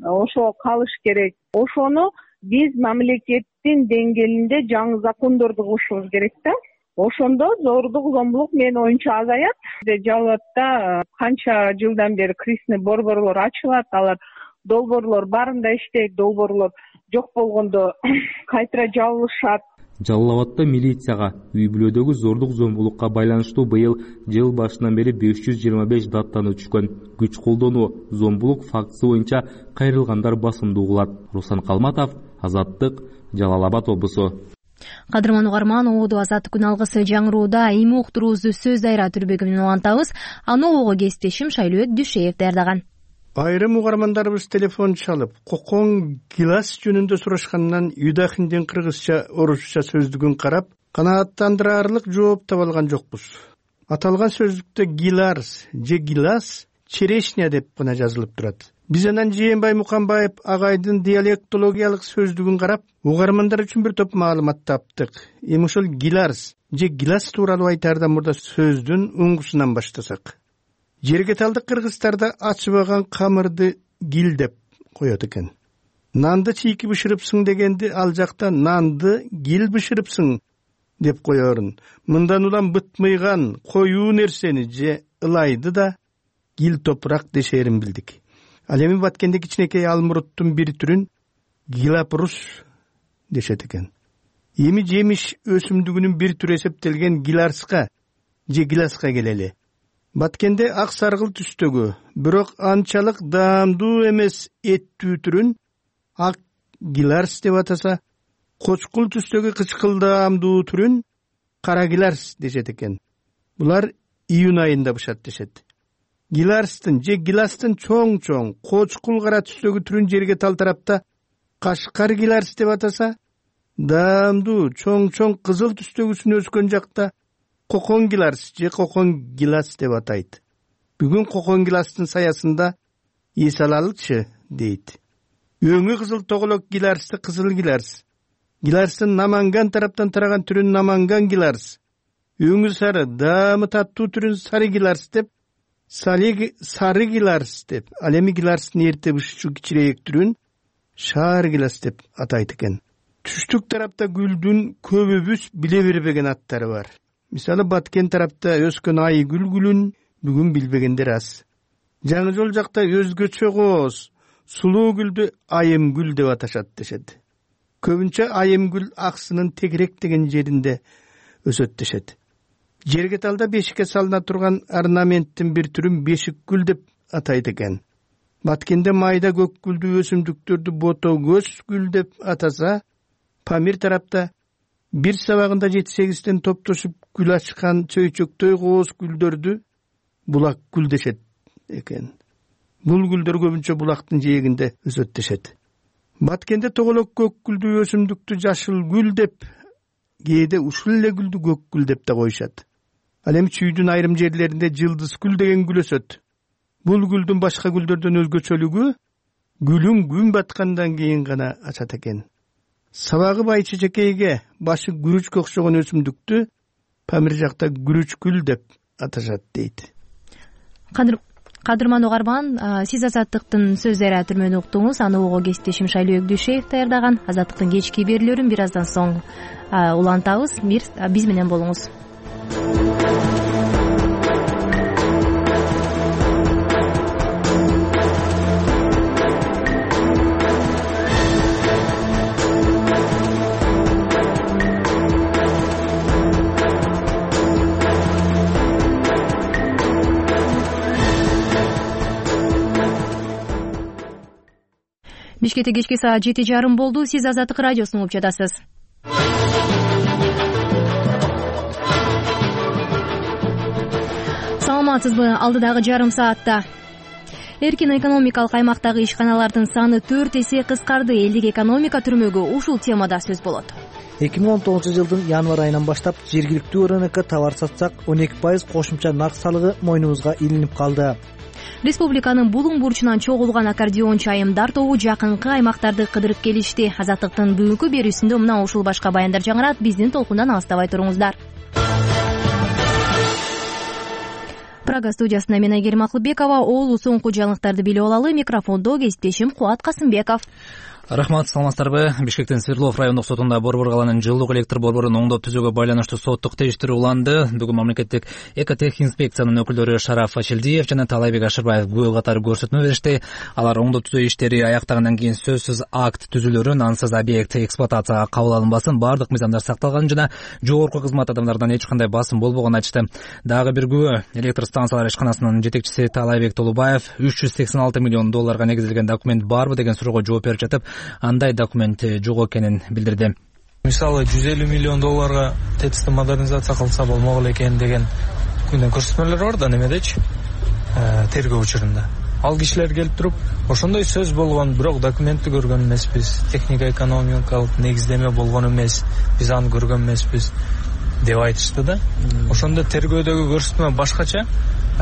Speaker 17: ошо калыш керек. Ошону биз мамлекеттин деңгээлинде жаңы закондорду кылышыбыз керек да. Ошондо зордук зомбулук менин оюмча азаят. Жалалатта канча жылдан бери кризисный борборлор ачылат, алар долбоорлор барында иштейт, долбоорлор жок болгондо кайтара жабылышат.
Speaker 12: Жалал Абадта милицияга үй бүлөдөгү зордук зомбулукка байланыштуу быйыл жыл башынан бери 525 даттаны түшкөн. Күч колдонуу, зомбулук фактысы боюнча кайрылгандар басымдуу угулат. Руслан Калматов, Азаттык, Жалал Абад облусу.
Speaker 1: Кадырман угарман, Оодо Азаттык күн алгысы жаңырууда эми уктуруубузду сөз дайра түрбөгү менен улантабыз. Аны ого кесиптешим Шайлөөт Дүшеев даярдаган.
Speaker 18: Айрым угармандарыбыз телефон чалып, кокон гилас жөнүндө сурашкандан Юдахиндин кыргызча, орусча сөздүгүн карап, канааттандыраарлык жооп таба алган жокпуз. Аталган сөздүктө гиларс же гилас черешня деп гана жазылып турат. Биз анан Жээнбай Муканбаев агайдын диалектологиялык сөздүгүн карап, угармандар үчүн бир топ маалымат таптык. Эми ошол гиларс же гилас тууралуу айтаардан мурда сөздүн уңгусунан баштасак. Жергеталдык кыргыздарда ачыбаган камырды гил деп коет экен. Нанды чийки бышырыпсың дегенди ал жакта нанды гил бышырыпсың деп коерун. Мындан улам бытмыйган коюу нерсени же ылайды да гил топурак дешерин билдик. Ал эми Баткенде кичинекей алмуруттун бир түрүн гилапрус дешет экен. Эми жемиш өсүмдүгүнүн бир түрү эсептелген гиларска же гиласка келели. Баткенде ак саргыл түстөгү, бирок анчалык даамдуу эмес эттүү түрүн ак гиларс деп атаса, кочкул түстөгү кычкылдаамдуу түрүн кара гиларс дешет экен. Булар июнь айында бышат дешет. Гиларстын же гиластын чоң-чоң кочкул кара түстөгү түрүн жерге тал тарапта кашкар гиларс деп атаса, даамдуу чоң-чоң кызыл түстөгүсүн өскөн жакта кокон гиларс же кокон гилас деп атайт. Бүгүн кокон гиластын саясында эс алалычы дейт. Өңү кызыл тоголок гиларсты кызыл гиларс. Гиларстын наманган тараптан тараган түрүн наманган гиларс. Өңү сары, даамы таттуу түрүн сары гиларс деп, сары гиларс деп, ал эми гиларстын эрте бышчу кичирээк түрүн шаар гилас деп атайт экен. Түштүк тарапта гүлдүн көбүбүз биле бербеген аттары бар. Мисалы Баткен тарапта өскөн айы гүлгүлүн бүгүн билбегендер аз. Жаңы жол жакта өзгөчө кооз, сулуу гүлдү айым гүл деп аташат дешет. Көбүнчө айым гүл аксынын тегерек деген жеринде өсөт дешет. Жергеталда бешикке салына турган орнаменттин бир түрүн бешик гүл деп атайт экен. Баткенде майда көк гүлдүү өсүмдүктөрдү бото көз гүл деп атаса, Памир тарапта бир сабагында 7-8тен топтошуп гүл ачкан чөйчөктөй кооз гүлдөрдү булак гүл дешет экен. Бул гүлдөр көбүнчө булактын жээгинде өсөт дешет. Баткенде тоголок көк гүлдүү өсүмдүктү жашыл гүл деп, кээде ушул эле гүлдү көк гүл деп да коюшат. Ал эми чүйдүн айрым жерлеринде жылдыз гүл деген гүл өсөт. Бул гүлдүн башка гүлдөрдөн өзгөчөлүгү гүлүн күн баткандан кийин гана ачат экен. сабагы бай чечекейге башы күрүчкө окшогон өсүмдүктү Памир жакта күрүчкүл деп аташат дейт.
Speaker 1: Кадырман угарман, сиз Азаттыктын сөздөрү түрмөнү уктуңуз. Аны угуу кесиптешим Шайлоо Өкдүшев даярдаган. Азаттыктын кечки берүүлөрүн бир аздан соң улантабыз. Биз менен болуңуз. Бишкекте кечки саат 7:30 болду. Сиз Азаттык радиосун угуп жатасыз. Саламатсызбы? Алдыдагы жарым саатта эркин экономикалык аймактагы ишканалардын саны 4 эсе кыскарды. Элдик экономика түрмөгү ушул темада сөз болот.
Speaker 19: 2019-жылдын январь айынан баштап жергиликтүү РНК товар сатсак 12% кошумча нарк салыгы мойнубузга илинип калды.
Speaker 1: Республиканын булуң бурчунан чогулган аккордеончу айымдар тобу жакынкы аймактарды кыдырып келишти. Азаттыктын бүгүнкү берүүсүндө мына ушул башка баяндар жаңырат. Биздин толкундан алыстабай туруңуздар. Прага студиясында мен Айгерим Акылбекова. Оолу соңку жаңылыктарды билип алалы. Микрофондо кесиптешим Кубат Касымбеков.
Speaker 3: Рахмат, саламатсыздарбы? Бишкектин Свердлов райондук сотунда борбор каланын жылдык электр борборун оңдоп түзүүгө байланыштуу соттук териштирүү уланды. Бүгүн мамлекеттик экотех инспекциянын өкүлдөрү Шараф Фашилдиев жана Талайбек Ашырбаев күбө катары көрсөтмө беришти. Алар оңдоп түзөө иштери аяктагандан кийин сөзсүз акт түзүлөрүн, ансыз объект эксплуатацияга кабыл алынбасын, баардык мыйзамдар сакталганын жана жогорку кызмат адамдарынан эч кандай басым болбогонун айтышты. Дагы бир күбө электр станциялар ишканасынын жетекчиси Талайбек Толубаев $386 миллион негизделген документ барбы деген суроого жооп берип жатып, андай документ жок экенин билдирди.
Speaker 8: Мисалы $150 миллион ТЭЦти модернизация кылса болмок экен деген көрсөтмөлөр бар да немедечи, тергөө учурунда. Ал кишилер келип туруп, ошондой сөз болгон, бирок документти көргөн эмеспиз, техника экономикалык негиздеме болгон эмес, биз аны көргөн эмеспиз деп айтышты да. Ошондо тергөөдөгү көрсөтмө башкача,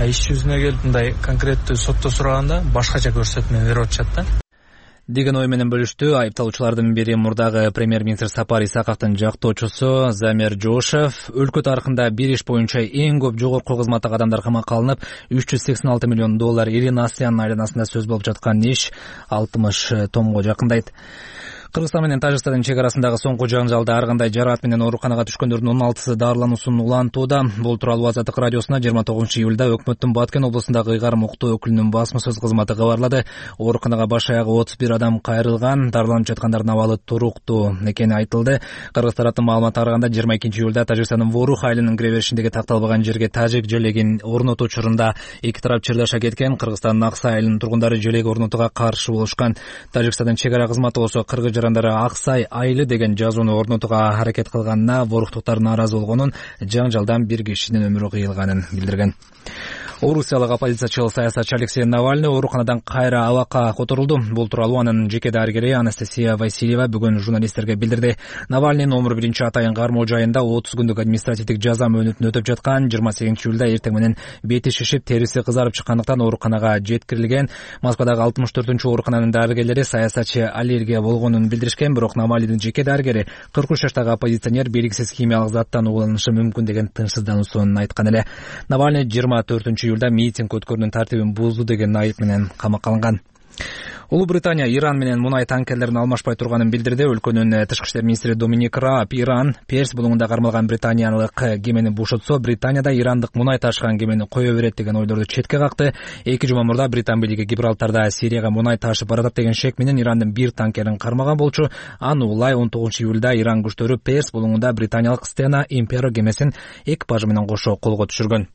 Speaker 8: иш жүзүнө келип мындай конкреттүү сотто сураганда башкача көрсөтмө берип атышат да.
Speaker 3: Деген ой менен бөлүштү айыпталуучулардын бири мурдагы премьер-министр Сапар Исаковдун жактоочусу Замир Жошев. Өлкө тарыхында бир иш боюнча эң көп жогорку кызматтагы адамдар камакка алынып, $386 миллион Ирина Асянын айланасында сөз болуп жаткан иш 60 томго жакындайт. Кыргызстан менен Тажикстандын чек арасындагы соңку жаңжалда ар кандай жараат менен ооруканага түшкөндөрдүн 16сы дарылануусун улантууда. Бул тууралуу Азаттык радиосуна 29-июлда өкмөттүн Баткен облусундагы ыйгарым уктуу өкүлүнүн басма сөз кызматы кабарлады. Ооруканага баш аягы 31 адам кайрылган, дарыланып жаткандардын абалы туруктуу экени айтылды. Кыргыз тараптын маалыматына караганда 22-июлда Тажикстандын Ворух айылынын кире беришиндеги такталбаган жерге тажик желегин орнотуу учурунда эки тарап чырдаша кеткен. Кыргызстандын Аксай айылынын тургундары желек орнотууга каршы болушкан. Тажикстандын чек ара кызматы болсо кыргыз жарандары Аксай айылы деген жазууну орнотууга аракет кылганына, воруктуктар нааразы болгонун, жаңжалдан бир кишинин өмүрү кыйылганын билдирген. Орусиялык оппозициячыл саясатчы Алексей Навальный ооруканадан кайра абакка которулду. Бул тууралуу анын жеке дарыгери Анастасия Васильева бүгүн журналисттерге билдирди. Навальный номер 1-атайын кармоо жайында 30 күндүк административдик жаза мөөнөтүн өтөп жаткан. 28-июлда эртең менен бети шишип, териси кызарып чыккандыктан ооруканага жеткирилген. Москвадагы 64-оорукананын дарыгерлери саясатчы аллергия болгонун билдиришкен, бирок Навальныйдын жеке дарыгери 43 жаштагы оппозиционер белгисиз химиялык заттан ууланышы мүмкүн деген тынчсыздануусун айткан эле. Навальный 24-июлда митинг өткөрүүнүн тартибин бузду деген айып менен камакка алынган. Улуу Британия Иран менен мунай танкерлерин алмашпай турганын билдирди. Өлкөнүн тышкы иштер министри Доминик Раб Иран Перс булуңунда кармалган британиялык кемени бошотсо, Британияда ирандык мунай ташыган кемени кое берет деген ойлорду четке какты. 2 жума мурда Британ бийлиги Гибралтарда Сирияга мунай ташып баратат деген шек менен Ирандын бир танкерин кармаган болчу. Аны улай 19-июлда Иран күчтөрү Перс булуңунда британиялык Stena Impero кемесин экипажы менен кошо колго түшүргөн.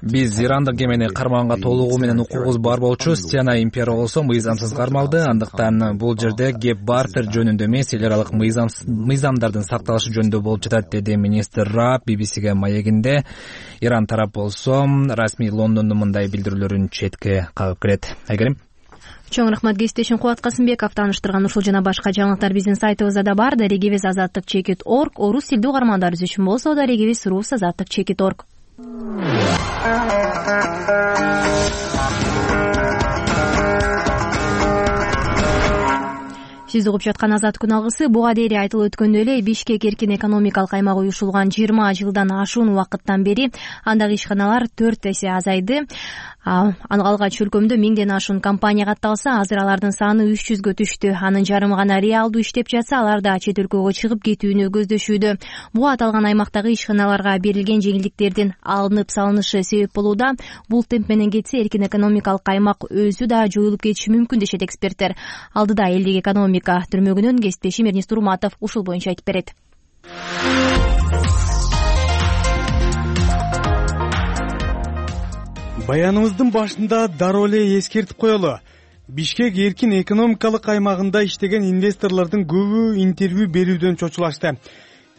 Speaker 3: Биз ирандык кемени кармаганга толугу менен укугубуз бар болчу. Stena Impero болсо мыйзамсыз кармалды. Андыктан бул жерде кеп бартер жөнүндө эмес, эл аралык мыйзамдардын сакталышы жөнүндө болуп жатат, деди министр Раб BBC-ге маегинде. Иран тарап болсо расмий Лондондун мындай билдирүүлөрүн четке кагып келет. Айгерим.
Speaker 1: Чоң рахмат кесиптешим Кубат Касымбеков тааныштырган ушул жана башка жаңылыктар биздин сайтыбызда да бар. Дарегибиз azattik.org. Орус тилдүү угармандарыбыз үчүн болсо дарегибиз azattik.org. Сиз угуп жаткан Азат күн алгысы. Буга дейин айтылып өткөндөй эле Бишкек эркин экономикалык аймагы уюшулган 20 жылдан ашуун убакыттан бери андагы ишканалар 4 эсе азайды. Алгач өлкөмдө 1000ден ашуун компания катталса, азыр алардын саны 300гө түштү. Анын жарымы гана реалдуу иштеп жатса, алар да чет өлкөгө чыгып кетүүнү көздөшүүдө. Буга аталган аймактагы ишканаларга берилген жеңилдиктердин алынып салынышы себеп болууда. Бул темп менен кетсе, эркин экономикалык аймак өзү да жоюлуп кетиши мүмкүн дешет эксперттер. Алдыда элдик экономика түрмөгүнөн кесиптешим Эрнис Турматов ушул боюнча айтып берет.
Speaker 20: Баяныбыздын башында дароо эле эскертип коелу. Бишкек эркин экономикалык аймагында иштеген инвесторлордун көбү интервью берүүдөн чочулашты.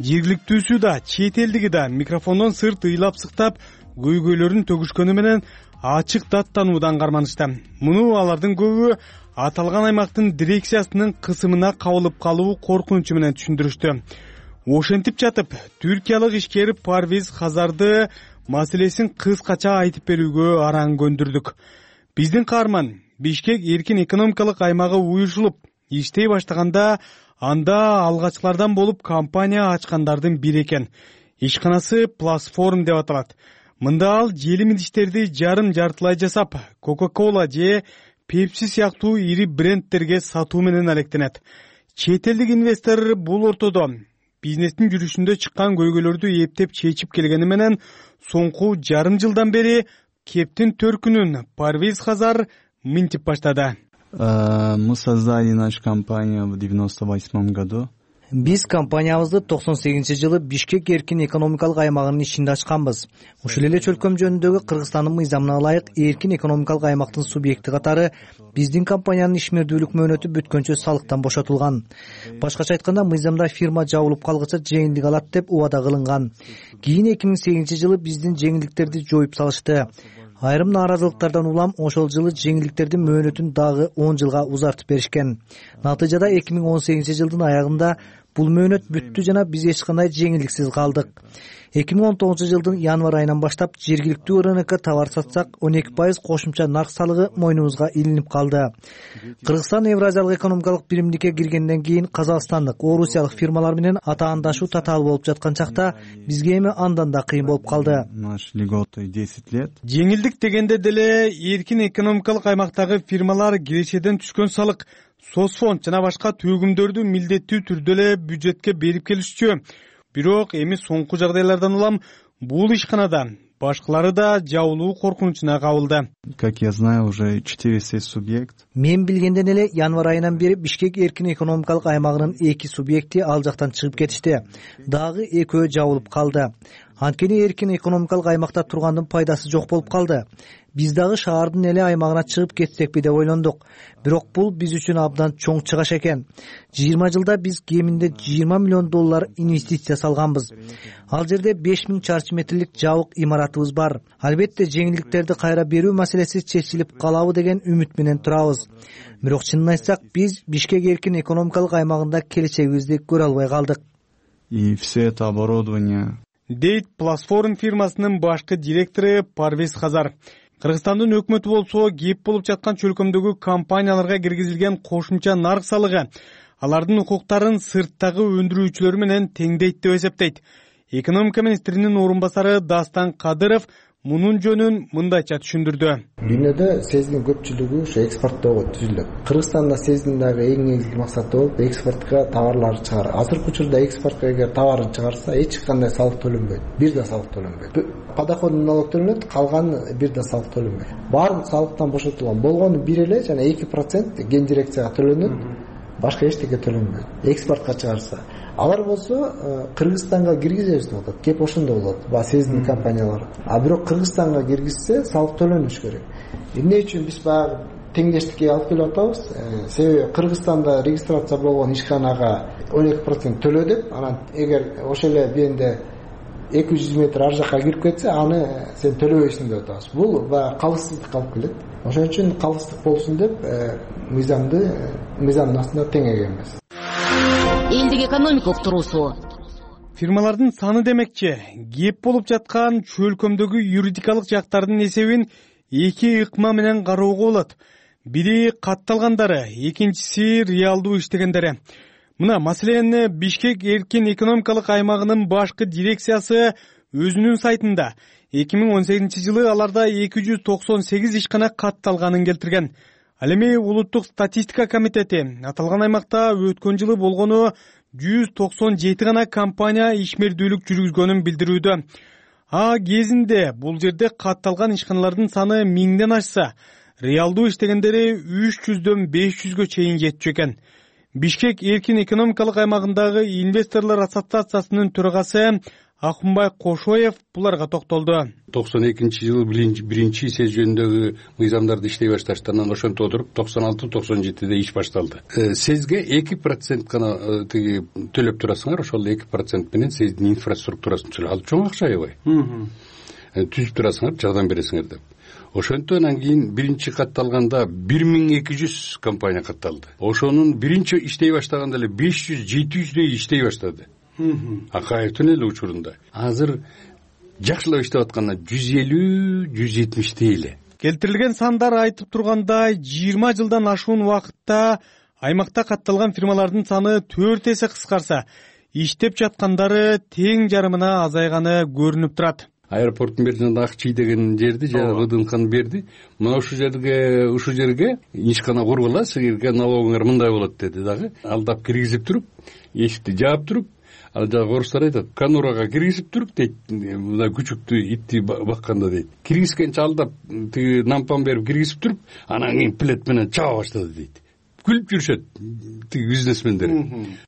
Speaker 20: Жергиликтүүсү да, чет элдиги да микрофондон сырт ыйлап-сыктап көйгөйлөрүн төгүшкөнү менен ачык даттануудан карманышты. Муну алардын көбү аталган аймактын дирекциясынын кысымына кабылып калуу коркунучу менен түшүндүрүштү. Ошентип жатып, түркиялык ишкер Парвиз Хазарды маселесин кыскача айтып берүүгө араң көндүрдүк. Биздин каарман Бишкек эркин экономикалык аймагы уюшулуп иштей баштаганда анда алгачкылардан болуп компания ачкандардын бири экен. Ишканасы Платформ деп аталат. Мында ал желим идиштерди жарым-жартылай жасап, Coca-Cola же Pepsi сыяктуу ири брендтерге сатуу менен алектенет. Чет элдик инвестор бул ортодо бизнестин жүрүшүндө чыккан көйгөйлөрдү эптеп чечип келгени менен соңку жарым жылдан бери кептин төркүнүн Парвиз Хазар мынтип баштады.
Speaker 21: Мы создали нашу компанию в 98 году.
Speaker 19: Биз компаниябызды 98-жылы Бишкек эркин экономикалык аймагынын ичинде ачканбыз. Ушул эле чөлкөм жөнүндөгү Кыргызстандын мыйзамына ылайык эркин экономикалык аймактын субъекти катары биздин компаниянын ишмердүүлүк мөөнөтү бүткөнчө салыктан бошотулган. Башкача айтканда, мыйзамда фирма жабылып калгыча жеңилдик алат деп убада кылынган. Кийин 2008-жылы биздин жеңилдиктерди жоюп салышты. Айрым нааразылыктардан улам ошол жылы жеңилдиктердин мөөнөтүн дагы 10 жылга узартып беришкен. Натыйжада 2018-жылдын аягында бул мөөнөт бүттү жана биз эч кандай жеңилдиксиз калдык. 2019-жылдын январь айынан баштап жергиликтүү РНК товар сатсак 12% кошумча нарк салыгы мойнубузга илинип калды. Кыргызстан Евразиялык экономикалык биримдикке киргенден кийин казакстандык, орусиялык фирмалар менен атаандашуу татаал болуп жаткан чакта бизге эми андан да кыйын болуп калды.
Speaker 21: Нашли готы 10 лет.
Speaker 20: Жеңилдик дегенде деле эркин экономикалык аймактагы фирмалар кирешеден түшкөн салык, соцфонд жана башка төгүмдөрдү милдеттүү түрдө эле бюджетке берип келишчү. Бирок эми соңку жагдайлардан улам бул ишканадан башкалары да жабылуу коркунучуна кабылды.
Speaker 21: Как я знаю, уже 4 субъект.
Speaker 19: Мен билгенден эле январь айынан бери Бишкек эркин экономикалык аймагынын 2 субъекти ал жактан чыгып кетишти. Дагы экөө жабылып калды. Анткени эркин экономикалык аймакта тургандын пайдасы жок болуп калды. Биз дагы шаардын эле аймагына чыгып кетсекпи деп ойлондук. Бирок бул биз үчүн абдан чоң чыгаш экен. 20 жылда биз кеминде $20 миллион инвестиция салганбыз. Ал жерде 5000 чарчы метрлик жабык имаратыбыз бар. Албетте жеңилдиктерди кайра берүү маселеси чечилип калабы деген үмүт менен турабыз. Бирок чынын айтсак, биз Бишкек эркин экономикалык аймагында келечегибизди көрө албай калдык.
Speaker 21: И все это оборудование.
Speaker 20: Дейт Платформ фирмасынын башкы директору Парвиз Хазар. Кыргызстандын өкмөтү болсо кеп болуп жаткан чөлкөмдөгү компанияларга киргизилген кошумча нарк салыгы алардын укуктарын сырттагы өндүрүүчүлөр менен теңдейт деп эсептейт. Экономика министринин орун басары Дастан Кадыров мунун жөнүн мындайча түшүндүрдү.
Speaker 22: Дүйнөдө СЭЗдин көпчүлүгү ушу экспорттоого түзүлөт. Кыргызстанда СЭЗдин дагы эң негизги максаты болуп экспортко товарларды чыгаруу. Азыркы учурда экспортко эгер товарын чыгарса, эч кандай салык төлөнбөйт. Бир да салык төлөнбөйт. Подоходный налог төлөнөт, калганы бир да салык төлөнбөйт. Баардык салыктан бошотулган. Болгону бир эле жана 2% ген дирекцияга төлөнөт. Башка эчтеке төлөнбөйт. Экспортко чыгарса. Алар болсо Кыргызстанга киргизебиз деп атат. Кеп ошондо болот. СЭЗдин компаниялары. А бирок Кыргызстанга киргизсе салык төлөнүш керек. Эмне үчүн биз баягы теңдештикке алып келип атабыз? Себеби Кыргызстанда регистрация болгон ишканага 12% төлө деп, анан эгер ошол эле бенде 200 метр ар жакка кирип кетсе, аны сен төлөбөйсүң деп атабыз. Бул баягы калыссыздык алып келет. Ошон үчүн калыстык болсун деп мыйзамдын астында тең экенбиз.
Speaker 23: Элдик экономика уктуруусу.
Speaker 20: Фирмалардын саны демекчи, кеп болуп жаткан чөлкөмдөгү юридикалык жактардын эсебин эки ыкма менен кароого болот. бири катталгандары, экинчиси реалдуу иштегендери. Мына маселени Бишкек эркин экономикалык аймагынын башкы дирекциясы өзүнүн сайтында 2018-жылы аларда 298 ишкана катталганын келтирген. Ал эми улуттук статистика комитети аталган аймакта өткөн жылы болгону 197 гана компания ишмердүүлүк жүргүзгөнүн билдирүүдө. Кезинде бул жерде катталган ишканалардын саны 1000ден ашса, реалдуу иштегендери 300дөн 500гө чейин жетчү экен. Бишкек эркин экономикалык аймагындагы инвесторлор ассоциациясынын төрагасы Акунбай Кошоев буларга токтолду.
Speaker 5: 92-жылы биринчи съезд жөнүндөгү мыйзамдарды иштей башташтан ошентип отуруп 96-97-де иш башталды. Съездге 2% гана тиги төлөп турасыңар, ошол 2% менен съездин инфраструктурасын түзүп алып чоң акча аябай. Түзүп турасыңар, жардам бересиңер деп. Ошентип анан кийин биринчи катталганда 1200 компания катталды. Ошонун биринчи иштей баштаганда эле 500-700 иштей баштады. Акаевдин эле учурунда. Азыр жакшылап иштеп атканда 150-170 эле.
Speaker 20: Келтирилген сандар айтып тургандай 20 жылдан ашуун убакытта аймакта катталган фирмалардын саны 4 эсе кыскарса, иштеп жаткандары тең жарымына азайганы көрүнүп турат.
Speaker 5: Аэропорттун бери жанында Акчий деген жерди жана ВДНКны берди. Мына ушул жерге ишкана кургула, силерге налогуңар мындай болот деди дагы. Алдап киргизип туруп, эшикти жаап туруп, ал жагы орустар айтат, конурага киргизип туруп дейт, мына күчүктү итти бакканда дейт. Киргизгенче алдап тиги нампан берип киргизип туруп, анан кийин плет менен чаба баштады дейт. Күлүп жүрүшөт тиги бизнесмендер.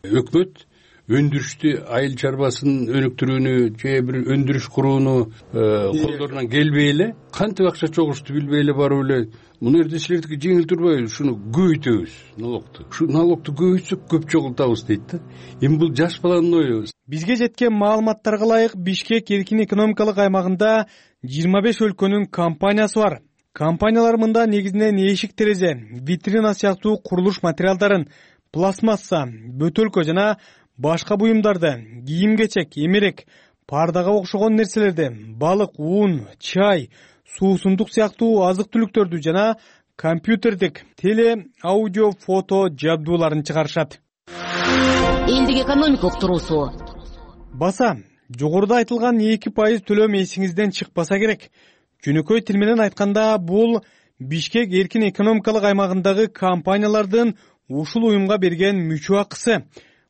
Speaker 5: Өкмөт өндүрүштү, айыл чарбасын өнүктүрүүнү же бир өндүрүш курууну колдорунан келбей эле, кантип акча чогушту билбей эле барып эле, муну жерде силердики жеңил турбайбы, шуну көбөйтөбүз, налогту. Ушу налогту көбөйтсөк көп чогултабыз дейт да. Эми бул жаш баланын ою.
Speaker 20: Бизге жеткен маалыматтарга ылайык Бишкек эркин экономикалык аймагында 25 өлкөнүн компаниясы бар. Компаниялар мында негизинен эшик терезе, витрина сыяктуу курулуш материалдарын, пластмасса, бөтөлкө жана башка буюмдарды, кийим-кечек, эмерек, пардага окшогон нерселерди, балык, ун, чай, суусундук сыяктуу азык-түлүктөрдү жана компьютердик, теле, аудио, фото жабдууларын чыгарышат.
Speaker 23: Элдик экономика уктуруусу.
Speaker 20: Баса, жогоруда айтылган 2% төлөм эсиңизден чыкпаса керек. Жөнөкөй тил менен айтканда, бул Бишкек эркин экономикалык аймагындагы компаниялардын ушул уюмга берген мүчө акысы.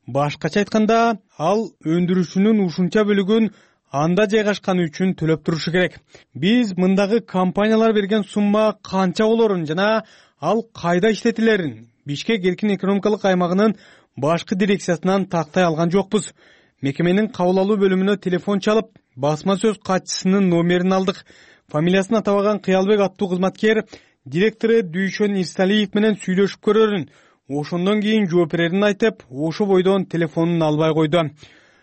Speaker 20: Башкача айтканда, ал өндүрүшүнүн ушунча бөлүгүн анда жайгашканы үчүн төлөп турушу керек. Биз мындагы компаниялар берген сумма канча болорун жана ал кайда иштетилерин Бишкек эркин экономикалык аймагынын башкы дирекциясынан тактай алган жокпуз. Мекеменин кабыл алуу бөлүмүнө телефон чалып, басма сөз катчысынын номерин алдык. Фамилиясын атабаган Кыялбек аттуу кызматкер директору Дүйшөн Ирсалиев менен сүйлөшүп көрөрүн, ошондон кийин жооп берерин айтып, ошо бойдон телефонун албай койду.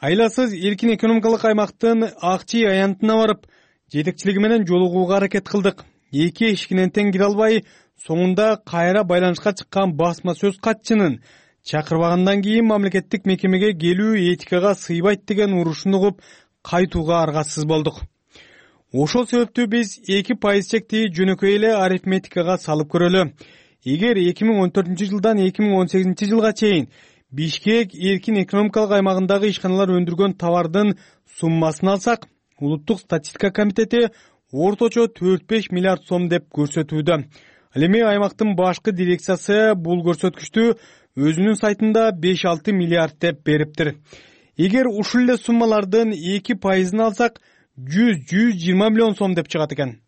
Speaker 20: Айласыз эркин экономикалык аймактын Акчий аянтына барып, жетекчилиги менен жолугууга аракет кылдык. Эки эшигинен тең кире албай, соңунда кайра байланышка чыккан басма сөз катчынын чакырбагандан кийин мамлекеттик мекемеге келүү этикага сыйбайт деген урушун угуп, кайтууга аргасыз болдук. Ошол себептүү биз 2% чекти жөнөкөй эле арифметикага салып көрөлү. Эгер 2014 жылдан 2018 жылга чейин Бишкек эркин экономикалык аймагындагы ишканалар өндүргөн товардын суммасын алсак, улуттук статистика комитети орточо 4-5 миллиард сом деп көрсөтүүдө. Ал эми аймактын башкы дирекциясы бул көрсөткүчтү өзүнүн сайтында 5-6 миллиард деп бериптир. Эгер ушул эле суммалардын 2%-ын алсак, 100-120 миллион сом деп чыгат экен.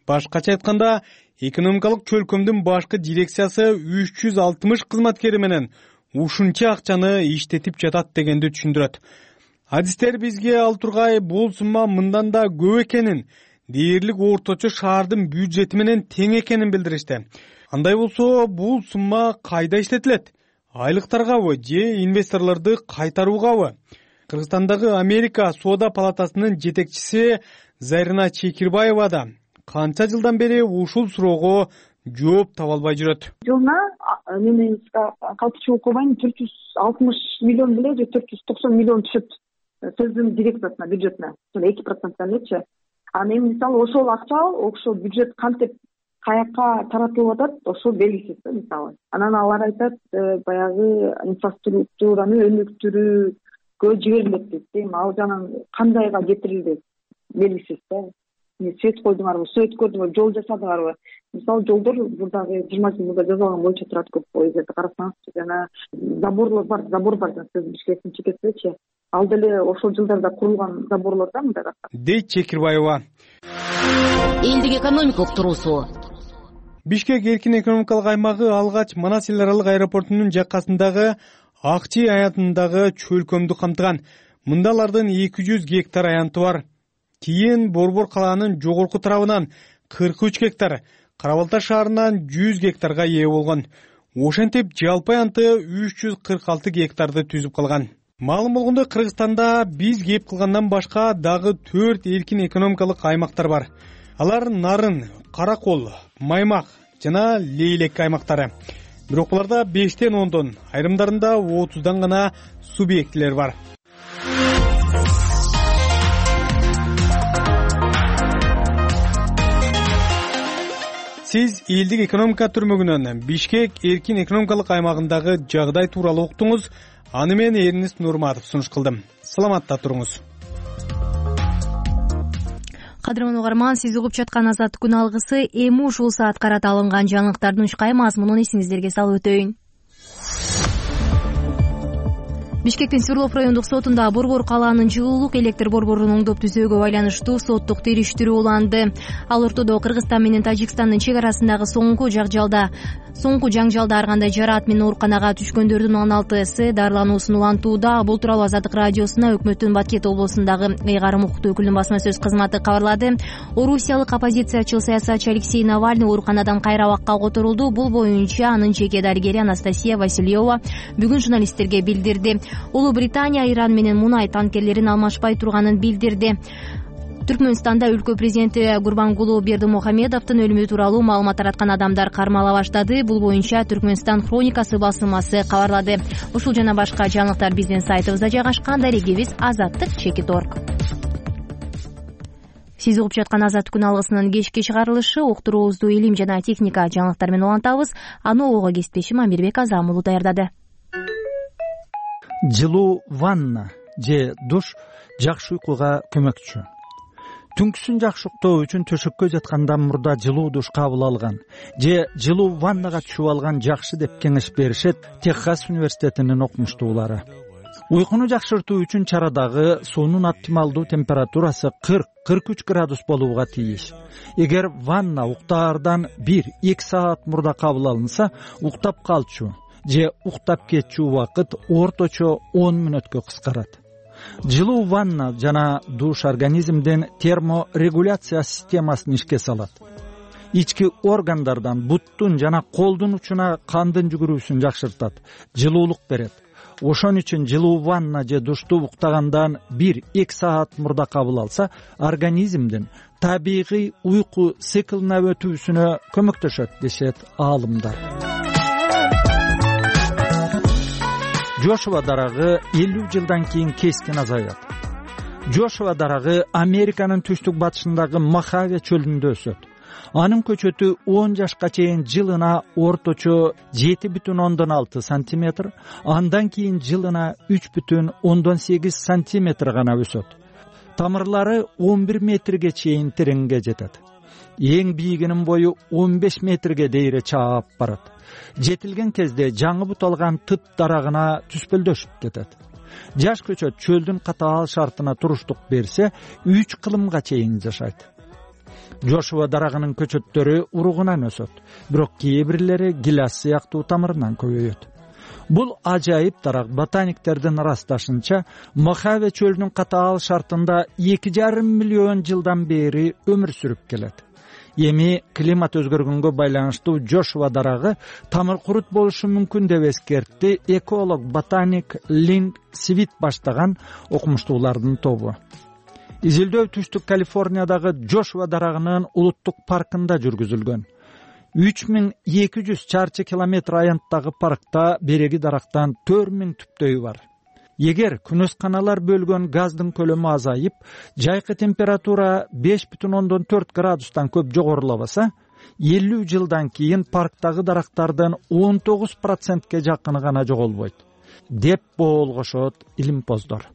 Speaker 20: Башкача айтканда, экономикалык чөлкөмдүн башкы дирекциясы 360 кызматкери менен ушунча акчаны иштетип жатат дегенди түшүндүрөт. Адистер бизге ал тургай бул сумма мындан да көп экенин, дээрлик орточо шаардын бюджети менен тең экенин билдиришти. Андай болсо, бул сумма кайда иштетилет? Айлыктаргабы же инвесторлорду кайтаруугабы? Кыргызстандагы Америка Соода палатасынын жетекчиси Зарина Чекирбаева да канча жылдан бери ушул суроого жооп таба албай жүрөт.
Speaker 6: Жылына менин калтырчу окубайм 460 миллион беле же 490 миллион түшөт сөздүн дирекциясына, бюджетине. 2%-тан элечи. Эми мисалы ошол акча, ошол бюджет кантип каякка таратылып атат ошол белгисиз да мисалы. Анан алар айтат баягы инфраструктураны өнүктүрүүгө жиберилет дейт. Эми ал жанагы кандайга жетирилди белгисиз да. Свет койдуңарбы, свет көрдүңөр, жол жасадыңарбы? Мисалы жолдор бурдагы 20 жылда жасалган боюнча турат көп эгерде карасаңызчы. Жана забор бар сиз Бишкектин чекесинечи. Ал деле ошол жылдарда курулган заборлор да мындай
Speaker 20: дейт Чекирбаева.
Speaker 23: Элдик экономика уктуруусу.
Speaker 20: Бишкек эркин экономикалык аймагы алгач Манас эл аралык аэропортунун жаккасындагы Акчи аянтындагы чөлкөмдү камтыган. Мында алардын 200 гектар аянты бар. Кийин Борбор калаанын жогорку тарабынан 43 гектар, Кара Балта шаарынан 100 гектарга ээ болгон. Ошентип жалпы аянты 346 гектарды түзүп калган. Маалым болгондой, Кыргызстанда биз кеп кылгандан башка дагы 4 эркин экономикалык аймактар бар. Алар Нарын, Каракол, Маймак жана Лейлек аймактары. Бирок буларда 5тен 10дон, айрымдарында 30дан гана субъектилер бар. Сиз элдик экономика түрмөгүнөн Бишкек эркин экономикалык аймагындагы жагдай тууралуу уктуңуз. Аны мен Эрнест Нурматов сунуш кылдым. Саламатта туруңуз.
Speaker 1: Кадырман угарман, сиз угуп жаткан Азаттык күн алгысы эми ушул саат карата алынган жаңылыктардын ушкай мазмунун эсиңиздерге салып өтөйүн. Бишкектин Свердлов райондук сотунда Борбор калаанын жылуулук электр борборун оңдоп түзүүгө байланыштуу соттук териштирүү уланды. Ал ортодо Кыргызстан менен Тажикстандын чек арасындагы соңку жаңжалда ар кандай жараат менен ооруканага түшкөндөрдүн 16сы дарылануусун улантууда. Бул тууралуу Азаттык радиосуна өкмөттүн Баткент облусундагы ыйгарым укуктуу өкүлүнүн басма сөз кызматы кабарлады. Орусиялык оппозициячыл саясатчы Алексей Навальный ооруканадан кайра абакка которулду. Бул боюнча анын жеке дарыгери Анастасия Васильева бүгүн журналисттерге билдирди. Улуу Британия Иран менен мунай танкерлерин алмашпай турганын билдирди. Түркмөнстанда өлкө президенти Гурбангулуу Бердимухамедовдун өлүмү тууралуу маалымат тараткан адамдар кармала баштады. Бул боюнча Түркмөнстан хроникасы басылмасы кабарлады. Ушул жана башка жаңылыктар биздин сайтыбызда жайгашкан. Дарегибиз azattik.org. Сиз угуп жаткан Азаттык күн алгысынын кечки чыгарылышы. Уктуруубузду илим жана техника жаңылыктар менен улантабыз. Аны ого кесиптешим Амирбек Азамулу даярдады.
Speaker 7: Жылуу ванна же душ жакшы уйкуга көмөкчү. Түнкүсүн жакшы уктоо үчүн төшөккө жаткандан мурда жылуу душ кабыл алган же жылуу ваннага түшүп алган жакшы деп кеңеш беришет Техас университетинин окумуштуулары. Уйкуну жакшыртуу үчүн чарадагы суунун оптималдуу температурасы 40-43 градус болууга тийиш. Эгер ванна уктаардан 1-2 саат мурда кабыл алынса, уктап калчу же уктап кетчү убакыт орточо 10 мүнөткө кыскарат. Жылуу ванна жана душ организмдин терморегуляция системасын ишке салат. Ички органдардан буттун жана колдун учуна кандын жүгүрүүсүн жакшыртат, жылуулук берет. Ошон үчүн жылуу ванна же душту уктагандан 1-2 саат мурда кабыл алса, организмдин табигый уйку циклына өтүүсүнө көмөктөшөт дешет аалымдар. Жошуа дарагы 50 жылдан кийин кескин азаят. Жошуа дарагы Американын түштүк батышындагы Мохаве чөлүндө өсөт. Анын көчөтү 10 жашка чейин жылына орточо 7,6 сантиметр, андан кийин жылына 3,8 сантиметр гана өсөт. Тамырлары 11 метрге чейин тереңге жетет. Эң бийигинин бою 15 метрге дейре чаап барат. Жетилген кезде жаңы буталган тыт дарагына түспөлдөшүп кетет. Жаш көчөт чөлдүн катаал шартына туруштук берсе, 3 кылымга чейин жашайт. Жошуа дарагынын көчөттөрү уругунан өсөт, бирок кээ бирлери гилас сыяктуу тамырынан көбөйөт. Бул ажайып дарак ботаниктердин ырасташынча Мохаве чөлүнүн катаал шартында 2,5 миллион жылдан бери өмүр сүрүп келет. Эми климат өзгөргөнгө байланыштуу Жошуа дарагы тамыр курут болушу мүмкүн деп эскертти эколог ботаник Линк Свит баштаган окумуштуулардын тобу. Изилдөө түштүк Калифорниядагы Жошуа дарагынын улуттук паркында жүргүзүлгөн. 3200 чарчы километр аянттагы паркта береги дарактан 4000 түптөйү бар. Эгер күнөсканалар бөлгөн газдын көлөмү азайып, жайкы температура 5,4 градустан көп жогорулабаса, 50 жылдан кийин парктагы дарактардын 19%ке жакыны гана жоголбойт деп болгошот илимпоздор.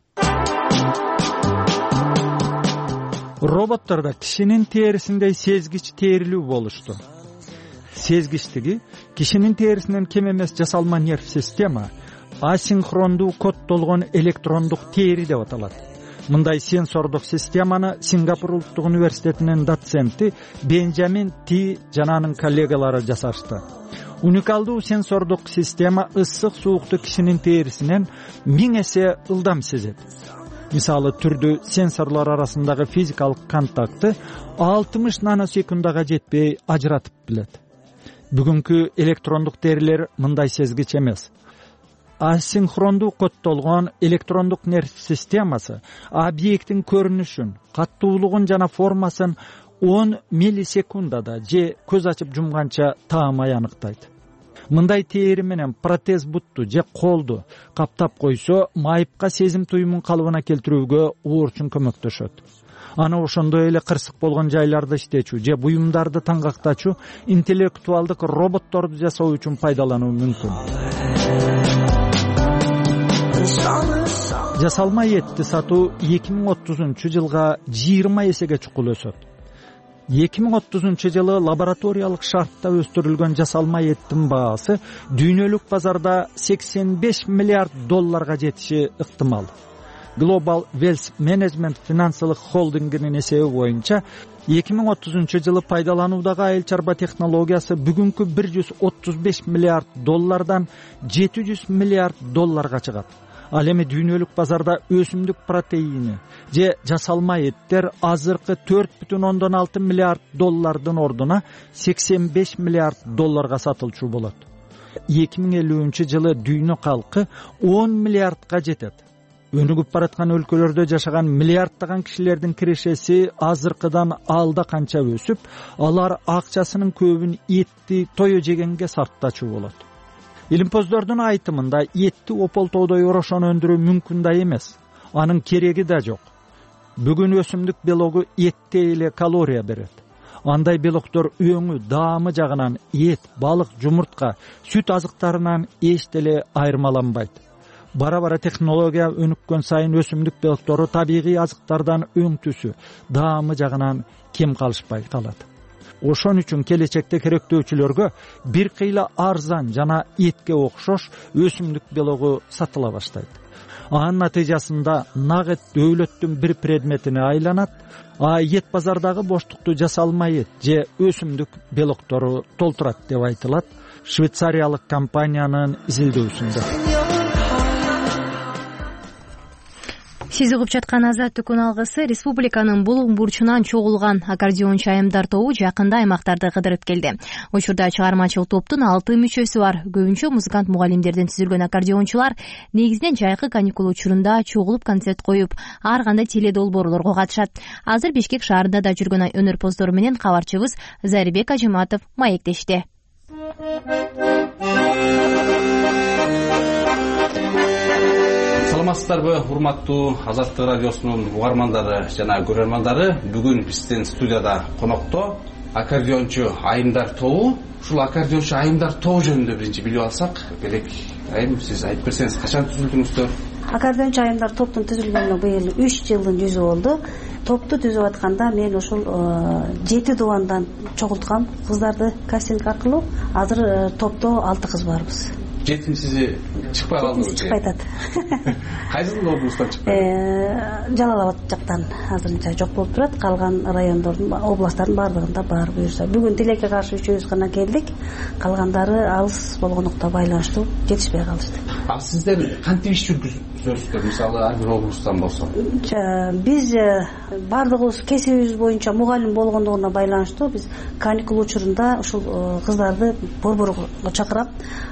Speaker 7: Роботтордо кишинин терисиндей сезгич терилүү болушту. Сезгичтиги кишинин терисинен кем эмес жасалма нерв система асинхрондуу коддолгон электрондук тери деп аталат. Мындай сенсордук системаны Сингапур улуттук университетинин доценти Бенджамин Ти жана анын коллегалары жасашты. Уникалдуу сенсордук система ысык суукту кишинин терисинен 1000 эсе ылдам сезет. Мисалы түрдүү сенсорлор арасындагы физикалык контактты 60 наносекундага жетпей ажыратып билет. Бүгүнкү электрондук терилер мындай сезгич эмес. Асинхрондуу коддолгон электрондук нерв системасы объекттин көрүнүшүн, каттуулугун жана формасын 10 миллисекундада же көз ачып жумганча таамай аныктайт. Мындай тери менен протез бутту же колду каптап койсо, майыпка сезим туюмун калыбына келтирүүгө оорчун көмөктөшөт. Аны ошондой эле кырсык болгон жайларды иштечү же буюмдарды таңгактачу интеллектуалдык роботторду жасоо үчүн пайдалануу мүмкүн. Жасалма этти сатуу 2030-жылга 20 эсеге чукул өсөт. 2030 жылы лабораториялык шартта өстүрүлгөн жасалма эттин баасы дүйнөлүк базарда $85 миллиард жетиши ыктымал. Global Wealth Management финансылык холдингинин эсеби боюнча 2030 жылы пайдалануудагы айыл чарба технологиясы бүгүнкү $135 миллиард $700 миллиард чыгат. Ал эми дүйнөлүк базарда өсүмдүк протеини же жасалма эттер азыркы $4,6 миллиард ордуна $85 миллиард сатылчу болот. 2050 жылы дүйнө калкы 10 миллиардга жетет. Өнүгүп бараткан өлкөлөрдө жашаган миллиарддаган кишилердин кирешеси азыркыдан алда канча өсүп, алар акчасынын көбүн этти тое жегенге сарптачу болот. Илимпоздордун айтымында этти ополтоодой орошону өндүрүү мүмкүн да эмес. Анын кереги да жок. Бүгүн өсүмдүк белогу этте эле калория берет. Андай белоктор өңү, даамы жагынан эт, балык, жумуртка, сүт азыктарынан эч деле айырмаланбайт. Бара-бара технология өнүккөн сайын өсүмдүк белоктору табигый азыктардан өң түсү, даамы жагынан кем калышпай калат. Ошон үчүн келечекте керектөөчүлөргө бир кыйла арзан жана этке окшош өсүмдүк белогу сатыла баштайт. Анын натыйжасында нагыт дөөлөттүн бир предметине айланат, а эт базардагы боштукту жасалма эт же өсүмдүк белоктору толтурат деп айтылат швейцариялык компаниянын изилдөөсүндө.
Speaker 1: Сиз угуп жаткан Азаттык күн алгысы республиканын булуң бурчунан чогулган аккордеончу айымдар тобу жакында аймактарды кыдырып келди. Учурда чыгармачыл топтун 6 мүчөсү бар. Көбүнчө музыкант мугалимдерден түзүлгөн аккордеончулар негизинен жайкы каникул учурунда чогулуп концерт коюп, ар кандай теле долбоорлорго катышат. Азыр Бишкек шаарында да жүргөн өнөрпоздор менен кабарчыбыз Зарибек Ажыматов маектешти.
Speaker 9: Саламатсыздарбы, урматтуу Азаттык радиосунун угармандары жана көрөрмандары. Бүгүн биздин студияда конокто аккордеончу айымдар тобу. Ушул аккордеончу айымдар тобу жөнүндө биринчи билип алсак, Белек айым, сиз айтып берсеңиз, качан түзүлдүңүздөр?
Speaker 10: Аккордеончу айымдар топтун түзүлгөнүнө быйыл 3 жылдын жүзү болду. Топту түзүп атканда мен ушул 7 дубандан чогулткам кыздарды кастинг аркылуу. Азыр топто 6 кыз барбыз.
Speaker 9: Жетинчиси чыкпай калдыбы?
Speaker 10: Чыкпай атат.
Speaker 9: Кайсыл облустан чыкпай?
Speaker 10: Жалал Абад жактан азырынча жок болуп турат. Калган райондордун, областтардын баардыгында бар буюрса. Бүгүн тилекке каршы үчөөбүз гана келдик. Калгандары алыс болгондуктан байланыштуу жетишпей калышты.
Speaker 9: А сиздер кантип иш жүргүзөсүздөр? Мисалы, ар бир облустан болсо.
Speaker 10: Биз баардыгыбыз кесибибиз боюнча мугалим болгондугуна байланыштуу биз каникул учурунда ушул кыздарды борборго чакырап,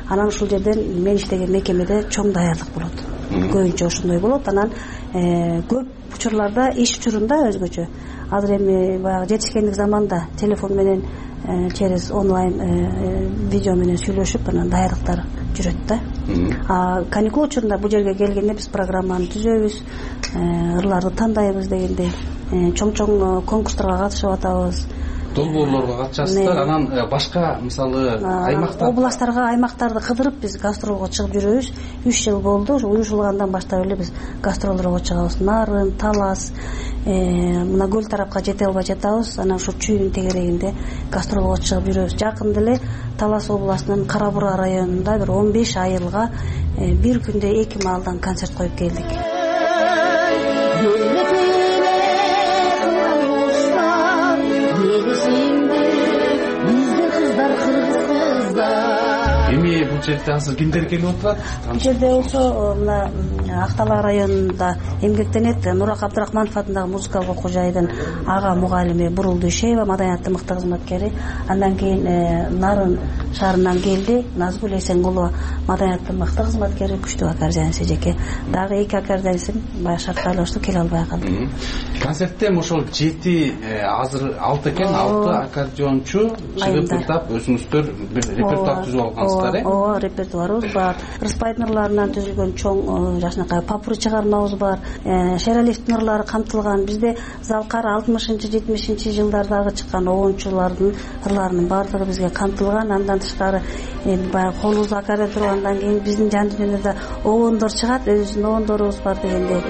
Speaker 10: анан ушул жерден мен иштеген мекемеде чоң даярдык болот. Көбүнчө ошондой болот. Анан көп учурларда иш учурунда өзгөчө. Азыр эми баягы жетишкендик заманда телефон менен через онлайн видео менен сүйлөшүп, анан даярдыктар жүрөт да. А каникул учурунда бул жерге келгенде биз программаны түзөбүз, ырларды тандайбыз дегендей, чоң конкурстарга катышып атабыз.
Speaker 9: долбоорлорго катышасыздар. Анан башка мисалы аймактар,
Speaker 10: областтарга, аймактарды кыдырып биз гастролго чыгып жүрөбүз. 3 жыл болду. Уюшулгандан баштап эле биз гастролдорго чыгабыз. Нарын, Талас, мына көл тарапка жете албай жатабыз. Анан ушу Чүйүн тегерегинде гастролго чыгып жүрөбүз. Жакында эле Талас областынын Кара Бура районунда бир 15 айылга бир күндө 2 маалдан концерт коюп келдик.
Speaker 9: Эми бул жерде азыр кимдер келип отурат?
Speaker 10: Бул жерде болсо мына Актала районунда эмгектенет Нурак Абдрахманов атындагы музыкалык окуу жайдын ага мугалими Бурул Дүйшеева, маданияттын мыкты кызматкери. Андан кийин Нарын шаарынан келди Назгүл Эсенгулова, маданияттын мыкты кызматкери, күчтүү аккордеонист эжеке. Дагы 2 аккордеонистин баягы шартка байланыштуу келе албай калды.
Speaker 9: Концертте ошол 7 азыр 6 экен, 6 аккордеончу чыгып тыртап өзүңүздөр бир репертуар түзүп алгансыздар.
Speaker 10: Ооба, репертуарыбыз бар. Рыспайт нурларынан түзүлгөн чоң жакшынакай папур чыгармабыз бар. Шералиевдин нурлары камтылган. Бизде Залкар 60-70 жылдардагы чыккан оончулардын ырларынын баардыгы бизге камтылган. Андан тышкары баягы колубузду аккордеон тургандан кийин биздин жан дүйнөдө да оондор чыгат, өзүбүздүн оондорубуз бар дегендей.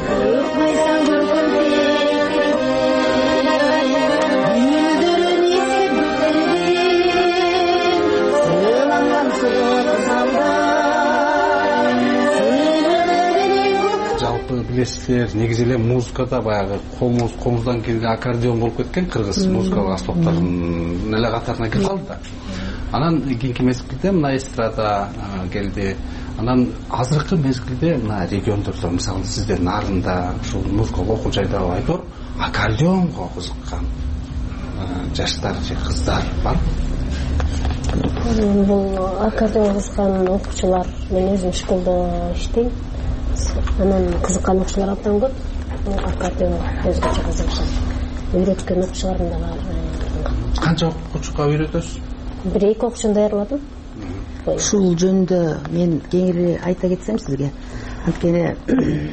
Speaker 9: Билесиздер, негизи эле музыкада баягы колумуздан келген аккордеон болуп кеткен кыргыз музыкалык аспаптарынын эле катарына кирип калды да. Анан кийинки мезгилде мына эстрада келди. Анан азыркы мезгилде мына региондордо, мисалы сиздер Нарында, ушул музыкалык окуу жайда айтор аккордеонго кызыккан жаштар же кыздар бар.
Speaker 2: Бул аккордеонго кызыккан окуучулар мен өзүм школдо иштейм. Анан кызыккан окуучулар абдан көп. Аккордеон өзгөчө кызыгышат. Үйрөткөн окуучуларым да бар.
Speaker 9: Канча окуучуга үйрөтөсүз?
Speaker 2: 1-2 окуучуну даярладым.
Speaker 11: Ушул жөнүндө мен кеңири айта кетсем сизге. Анткени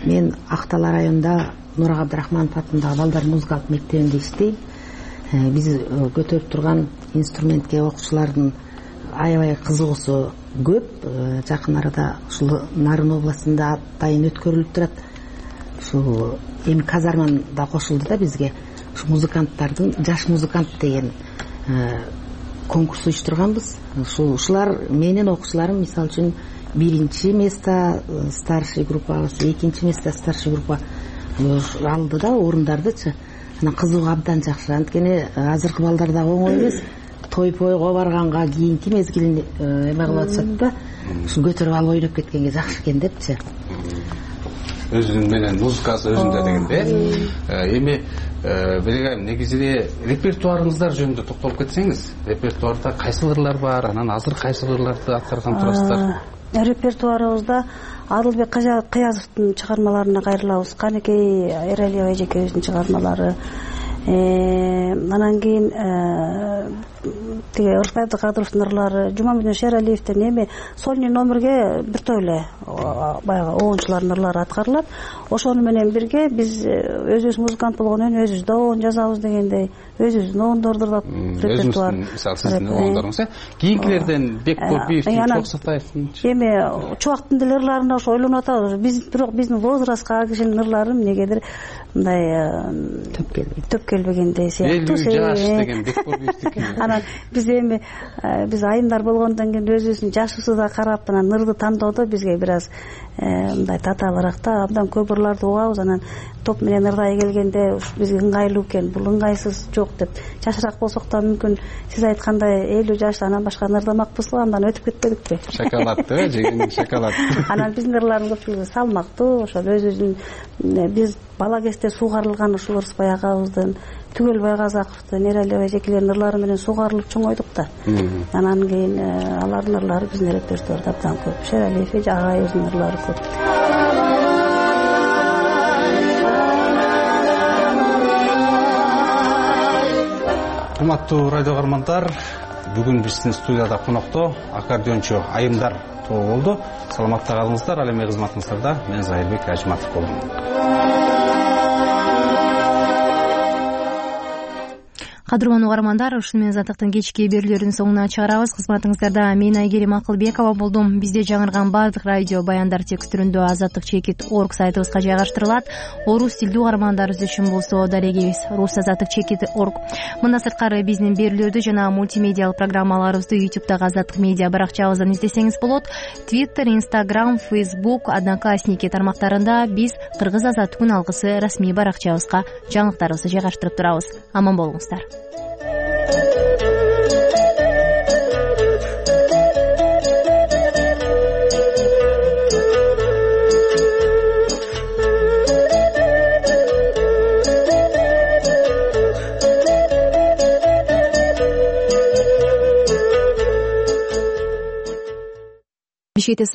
Speaker 11: мен Актала районунда Нурак Абдрахманов атындагы балдар музыкалык мектебинде иштейм. Биз көтөрүп турган инструментке окуучулардын аябай кызыгуусу көп. Жакын арада ушул Нарын областында атайын өткөрүлүп турат. Ушул эми казарман да кошулду да бизге. Ушу музыканттардын жаш музыкант деген конкурс уюштурганбыз. Ушулар менин окуучуларым мисалы үчүн 1-чи место старший группабыз, 2-чи место старший группа алды да орундардычы. Анан кызыгуу абдан жакшы. Анткени азыркы балдар да оңой эмес. Той-пойго барганга кийинки мезгилин эме кылып атышат да. Ушул көтөрүп алып ойноп кеткенге жакшы экен депчи.
Speaker 9: Өзүнүн менен музыкасы өзүндө дегенде. Эми Белгайым, негизи репертуарыңыздар жөнүндө токтолуп кетсеңиз, репертуарда кайсы ырлар бар, анан азыр кайсы ырларды аткарган турасыздар?
Speaker 10: Репертуарыбызда Адылбек Кыязовдун чыгармаларына кайрылабыз. Канекей Эралиева эжекебиздин чыгармалары. Анан кийин тиги Рыспай Абдыкадыровдун ырлары, Жумамедин Шералиевдин эми сольный номерге бир топ эле баягы оончулардын ырлары аткарылат. Ошону менен бирге биз өзүбүз музыкант болгондон кийин өзүбүз да оон жазабыз дегендей, өзүбүздүн оондорду да репертуар.
Speaker 9: Мисалы сиздин оондоруңуз, кийинкилерден Бекболбиевдин, Чоксатаевдин
Speaker 10: эми Чубактын деле ырларына ошо ойлонуп атабыз. Биз бирок биздин возрастка кишинин ырлары эмнегедир мындай төп келбегендей сыяктуу.
Speaker 9: Жаш деген Бекболбиевдики.
Speaker 10: Анан биз эми биз айымдар болгондон кийин өзүбүздүн жашыбызга карап анан ырды тандоодо бизге бир аз мындай татаалыраак да, абдан көп ырларды угабыз. Анан топ менен ырдай келгенде бизге ыңгайлуу экен, бул ыңгайсыз жок деп. Жашыраак болсок да мүмкүн сиз айткандай 50 жаш анан башка ырдамакпыз, андан өтүп кетпедикпи?
Speaker 9: Шоколадды, жеген шоколад.
Speaker 10: Анан биздин ырлардын көпчүлүгү салмактуу, ошол өзүбүздүн биз бала кезде суугарылган ушул Рыспай агабыздын, Түгөлбай Казаковдун, Эралиева эжекелердин ырлары менен суугарылып чоңойдук да. Анан кийин алардын ырлары биздин репертуарда абдан көп. Шералиев агайыбыздын ырлары көп.
Speaker 9: Урматтуу радио каармандар, бүгүн биздин студияда конокто аккордеончу Айымдар тобу болду. Саламатта калыңыздар. Ал эми кызматыңыздарда мен Зайырбек Ажматов болдум.
Speaker 1: Кадырман угармандар, ушуну менен Азаттыктын кечки берүүлөрүнүн соңуна чыгарабыз. Кызматыңыздарда мен Айгерим Акылбекова болдум. Бизде жаңырган баардык радио баяндар текстүрүндө azattik.org сайтыбызга жайгаштырылат. Орус тилдүү угармандарыбыз үчүн болсо дарегибиз rus.azattik.org. Мындан сырткары биздин берүүлөрдү жана мультимедиалык программаларыбызды YouTube'дагы Азаттык медиа баракчабыздан издесеңиз болот. Twitter, Instagram, Facebook, Одноклассники тармактарында биз Кыргыз Азаттык күн алгысы расмий баракчабызга жаңылыктарыбызды жайгаштырып турабыз. Аман болуңуздар. Бишкекте